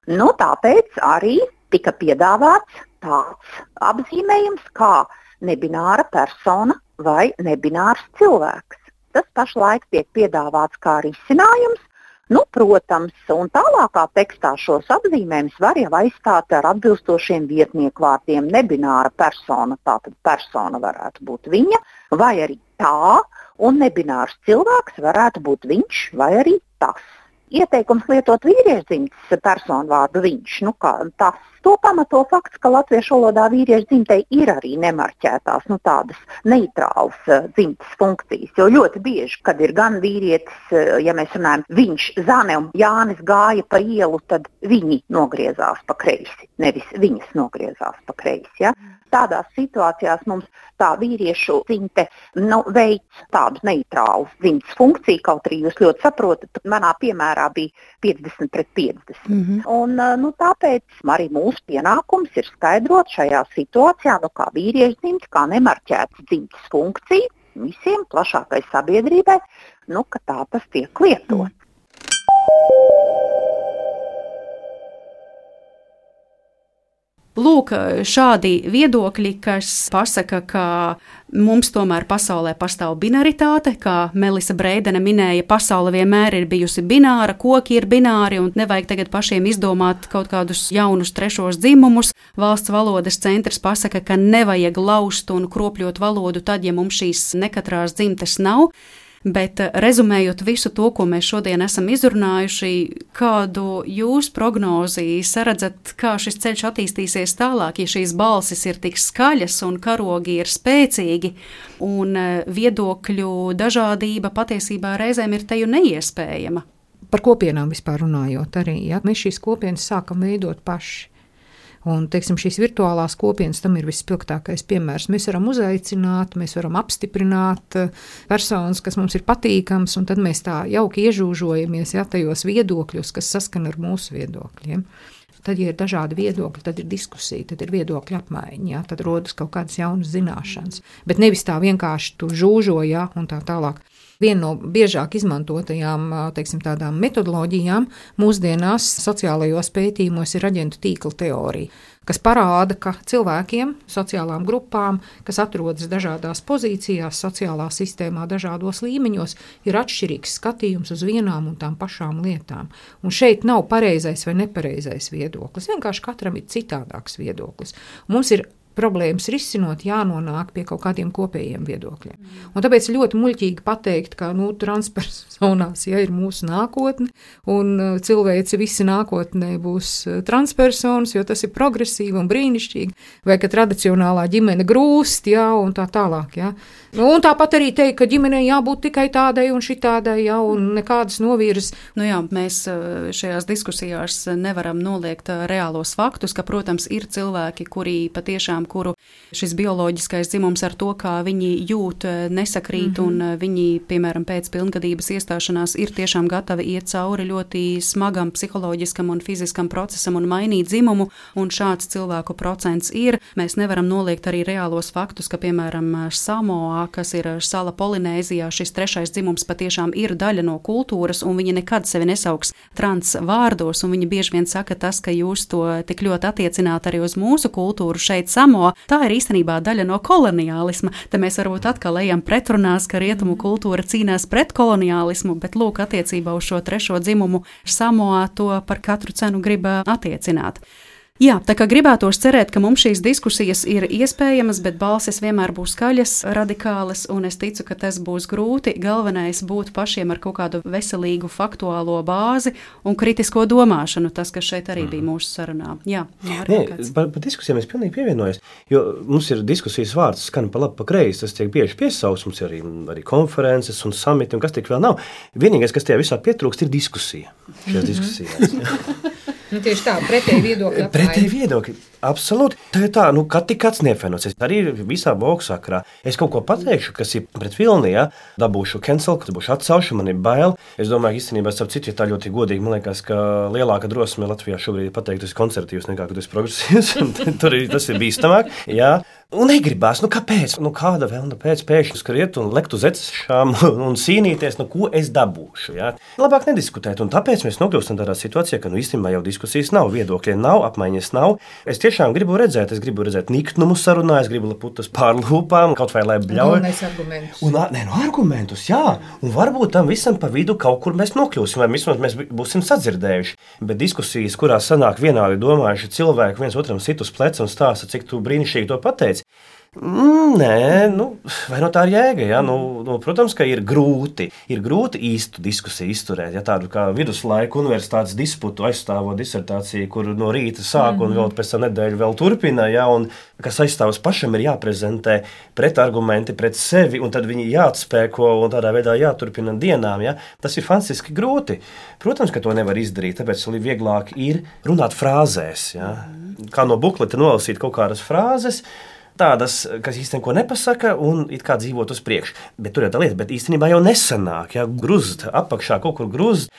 Tāpēc arī tika piedāvāts tāds apzīmējums kā nebināra persona vai nebinārs cilvēks. Tas pašlaik tiek piedāvāts kā risinājums, Protams, un tālākā tekstā šos apzīmējumus var jau aizstāt ar atbilstošiem vietnieku vārdiem. Nebināra persona, tātad persona varētu būt viņa, vai arī tā, un nebinārs cilvēks varētu būt viņš, vai arī tas. Ieteikums lietot vīriešdzimtes personu vārdu viņš, tas. To pamato fakts, ka latviešu valodā vīriešu dzimtei ir arī nemarķētās, tādas neitrālas dzimtes funkcijas, jo ļoti bieži, kad ir gan vīrietis, ja mēs runājam, viņš, Zane un Jānis gāja pa ielu, tad viņi nogriezās pa kreisi, nevis viņas nogriezās pa kreisi, ja? Tādās situācijās mums tā vīriešu dzimte veic tādu neitrālu dzimtes funkciju, kaut arī jūs ļoti saprotat, manā piemērā bija 50-50. Un tāpēc arī mūsu pienākums ir skaidrot šajā situācijā, kā vīriešu dzimte, kā nemarķēta dzimtes funkcija visiem plašākai sabiedrībai, ka tā tas tiek lietots. Lūk, šādi viedokļi, kas pasaka, ka mums tomēr pasaulē pastāv binaritāte, kā Melisa Breidene minēja, pasaule vienmēr ir bijusi bināra, koki ir bināri un nevajag tagad pašiem izdomāt kaut kādus jaunus trešos dzimumus. Valsts valodas centrs pasaka, ka nevajag laust un kropļot valodu tad, ja mums šīs nekatrās dzimtes nav. Bet rezumējot visu to, ko mēs šodien esam izrunājuši, kādu jūs prognozi saredzat, kā šis ceļš attīstīsies tālāk, ja šīs balsis ir tik skaļas un karogi ir spēcīgi un viedokļu dažādība patiesībā reizēm ir teju neiespējama? Par kopienām vispār runājot arī, ja? Mēs šīs kopienas sākam veidot paši. Un, šīs virtuālās kopienas tam ir vispilgtākais piemērs. Mēs varam uzaicināt, mēs varam apstiprināt personas, kas mums ir patīkams, un tad mēs tā jauki iežūžojamies tajos viedokļos, kas saskan ar mūsu viedokļiem. Tad, ja ir dažādi viedokļi, tad ir diskusija, tad ir viedokļa apmaiņa, tad rodas kaut kādas jaunas zināšanas. Bet nevis tā vienkārši tu žūžo, un tā tālāk. Viena no biežāk izmantotajām tādām metodoloģijām mūsdienās sociālajos pētījumos ir aģentu tīkla teorija, kas parāda, ka cilvēkiem, sociālām grupām, kas atrodas dažādās pozīcijās, sociālā sistēmā, dažādos līmeņos, ir atšķirīgs skatījums uz vienām un tām pašām lietām. Un šeit nav pareizais vai nepareizais viedoklis, vienkārši katram ir citādāks viedoklis. Mums ir problēmas risinot, jānonāk pie kaut kādiem kopējiem viedokļiem. Un tāpēc ļoti muļķīgi pateikt, ka transpersonās ir mūsu nākotne, un cilvēci visi nākotnē būs transpersonas, jo tas ir progresīvi un brīnišķīgi, vai ka tradicionālā ģimene grūst, un tā tālāk. Un tāpat arī teikt, ka ģimenei jābūt tikai tādai un šitādai, un nekādas novirzes. Mēs šajās diskusijās nevaram noliegt reālos faktus, ka, protams, ir cilvēki, kuri patiešām kuru šis bioloģiskais dzimums ar to, kā viņi jūt, nesakrīt, un viņi, piemēram, pēc pilngadības iestāšanās ir tiešām gatavi iet cauri ļoti smagam psiholoģiskam un fiziskam procesam un mainīt dzimumu, un šāds cilvēku procents ir. Mēs nevaram noliegt arī reālos faktus, ka, piemēram, Samoā, kas ir sala Polinēzijā, šis trešais dzimums patiešām ir daļa no kultūras, un viņi nekad sevi nesauks trans vārdos, un viņi bieži vien saka tas, ka jūs to tik ļoti attiecināt arī uz mūsu kultūru šeit Samoā. Tā ir īstenībā daļa no koloniālisma. Te mēs varbūt atkal ejam pretrunās, ka rietumu kultūra cīnās pret koloniālismu, bet lūk, attiecībā uz šo trešo dzimumu Samoā to par katru cenu grib attiecināt. Jā, tā kā gribētos cerēt, ka mums šīs diskusijas ir iespējamas, bet balsis vienmēr būs skaļas, radikālas, un es ticu, ka tas būs grūti. Galvenais būt pašiem ar kaut kādu veselīgu faktuālo bāzi un kritisko domāšanu, tas, kas šeit arī bija mūsu sarunā. Jā, par diskusijām es pilnīgi pievienojos, jo mums ir diskusijas vārds, skan pa labi, pa kreisi, tas tiek bieži piesauks, mums ir arī konferences un samiti, un kas tik vēl nav. Vienīgais, kas tajā visā pietrūkst, ir diskusija. Šajās diskusijās. Tieši tā, pretēji viedokļi. Pretēji viedokļi, absolūti. Tā ir tā, kad tik kāds neapvienots. Arī visā boku sakarā. Es kaut ko pateikšu, kas ir pret vilni, dabūšu cancel, dabūšu atcelšu, man ir bail. Es domāju, īstenībā, starp citu, ja tā ļoti godīgi, man liekas, ka lielāka drosme Latvijā šobrīd pateikt, ka tas ir konservatīvs nekā, ka tas ir progresīvs. Tur tas ir bīstamāk, jā. Un negribās, kāpēc? Kāda vēl pēkšņi skriet un lekt uz ecešām un cīnīties, ko es dabūšu, jā. Labāk nediskutēt, un tāpēc mēs nokļūstam tādā situācijā, ka īstenībā jau diskusijas nav, viedokļiem nav, apmaiņas nav. Es tiešām gribu redzēt niknumu sarunā, es gribu putas pār lūpām, kaut vai lai bļauj. Argumentus, jā. Un varbūt tam visam pa vidu kaut kur mēs nokļūsim, vai vismaz mēs būsim sadzirdējuši. Bet diskusijas, kurās sanāk vienādi domājuši cilvēki, viens otram sit uz pleca un stāsta, cik tu brīnišķīgi to pateici. Nē, vai no tā ir jēga? Ja? Protams, ka ir grūti īstu diskusiju izturēt. Ja, tādu kā viduslaiku universitātes disputu aizstāvot disertāciju, kur no rīta sāk un vēl pēc tam nedēļu vēl turpina, ja, un kas aizstāvas pašam ir jāprezentē pretargumenti pret sevi, un tad viņi jāatspēko un tādā veidā jāturpina dienām. Ja. Tas ir fantastiski grūti. Protams, ka to nevar izdarīt, tāpēc vieglāk ir runāt frāzēs. Ja. Kā no bukleta nolasīt kaut kādas frāzes, tādas, kas īstenībā nepasaka un it kā dzīvot uz priekšu. Bet tur ir tā lieta, bet īstenībā jau nesanāk. Ja, grūzt apakšā kaut kur grūzt.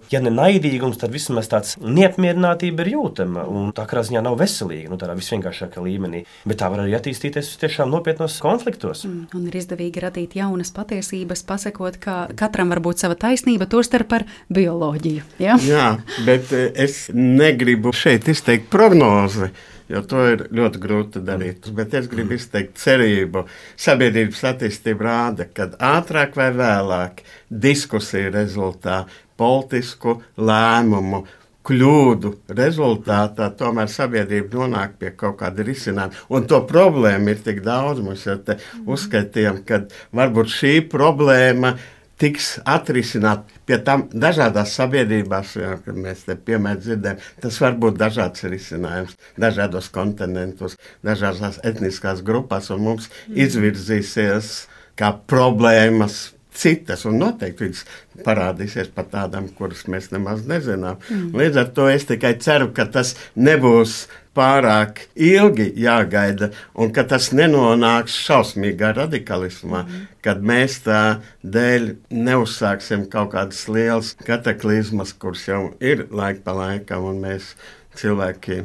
Ja ne naidīgums, tad vismaz tāds neapmierinātība ir jūtama. Un tā kā ziņā nav veselīga, tādā visvienkāršākā līmenī. Bet tā var arī attīstīties tiešām nopietnos konfliktos. Un ir izdevīgi radīt jaunas patiesības, pasakot, ka katram var būt sava taisnība, tostarp par bioloģiju. Ja? Jā, bet es negribu šeit izteikt prognozi, jo to ir ļoti grūti darīt. Bet es gribu izteikt cerību. Sabiedrības attīstība rāda, ka ātrāk vai vēlāk diskusiju rezultātā, politisku lēmumu, kļūdu rezultātā tomēr sabiedrība nonāk pie kaut kāda risinājuma. Un to problēmu ir tik daudz. Mēs jau te uzskaitījām, ka varbūt šī problēma tiks atrisināt pie tam dažādās sabiedrībās, kad mēs te piemēram dzirdējam, tas var būt dažāds risinājums, dažādos kontinentos, dažādās etniskās grupās, un mums izvirzīsies kā problēmas citas, un noteikti viņas parādīsies pat tādām, kuras mēs nemaz nezinām. Līdz ar to es tikai ceru, ka tas nebūs pārāk ilgi jāgaida, un ka tas nenonāks šausmīgā radikalismā, kad mēs tā dēļ neuzsāksim kaut kādas lielas kataklizmas, kuras jau ir laika pa laikam, un mēs cilvēki,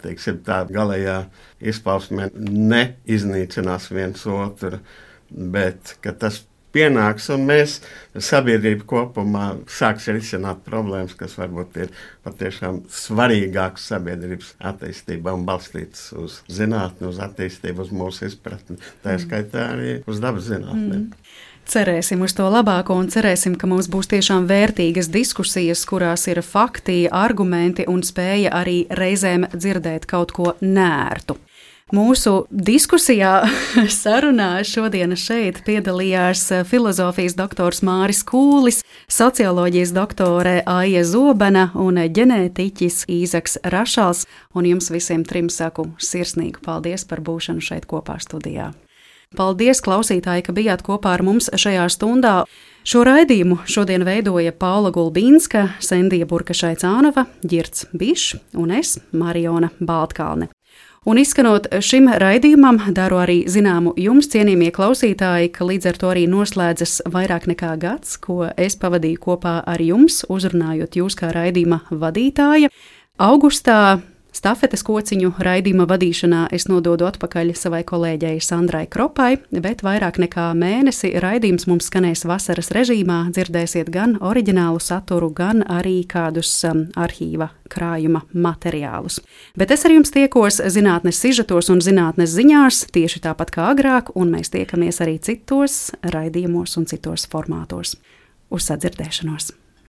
teiksim, tā galējā izpausmē neiznīcinās viens otru, bet ka tas pienāks, un mēs sabiedrība kopumā sāks risināt problēmas, kas varbūt ir patiešām svarīgākas sabiedrības attīstībā un balstītas uz zinātni, uz attīstību, uz mūsu izpratni, tā skaitā arī uz dabas zinātnēm. Cerēsim uz to labāko un cerēsim, ka mums būs tiešām vērtīgas diskusijas, kurās ir fakti, argumenti un spēja arī reizēm dzirdēt kaut ko nērtu. Mūsu diskusijā, sarunā šodien šeit piedalījās filozofijas doktors Māris Kūlis, socioloģijas doktore Aija Zobena un ģenētiķis Īzaks Rašals. Un jums visiem trim saku sirsnīgu paldies par būšanu šeit kopā studijā. Paldies, klausītāji, ka bijāt kopā ar mums šajā stundā. Šo raidījumu šodien veidoja Paula Gulbīnska, Sendija Burkašaicānova, Ģirds Bišs un es, Mariona Baltkalne. Un izskanot šim raidījumam, daru arī zināmu jums, cienījamie klausītāji, ka līdz ar to arī noslēdzas vairāk nekā gads, ko es pavadīju kopā ar jums, uzrunājot jūs kā raidījuma vadītāja. Augustā stafetes kociņu raidījuma vadīšanā es nododu atpakaļ savai kolēģei Sandrai Kropai, bet vairāk nekā mēnesi raidījums mums skanēs vasaras režīmā, dzirdēsiet gan oriģinālu saturu, gan arī kādus arhīva krājuma materiālus. Bet es ar jums tiekos zinātnes sižetos un zinātnes ziņās tieši tāpat kā agrāk, un mēs tiekamies arī citos raidījumos un citos formātos. Uz sadzirdēšanos!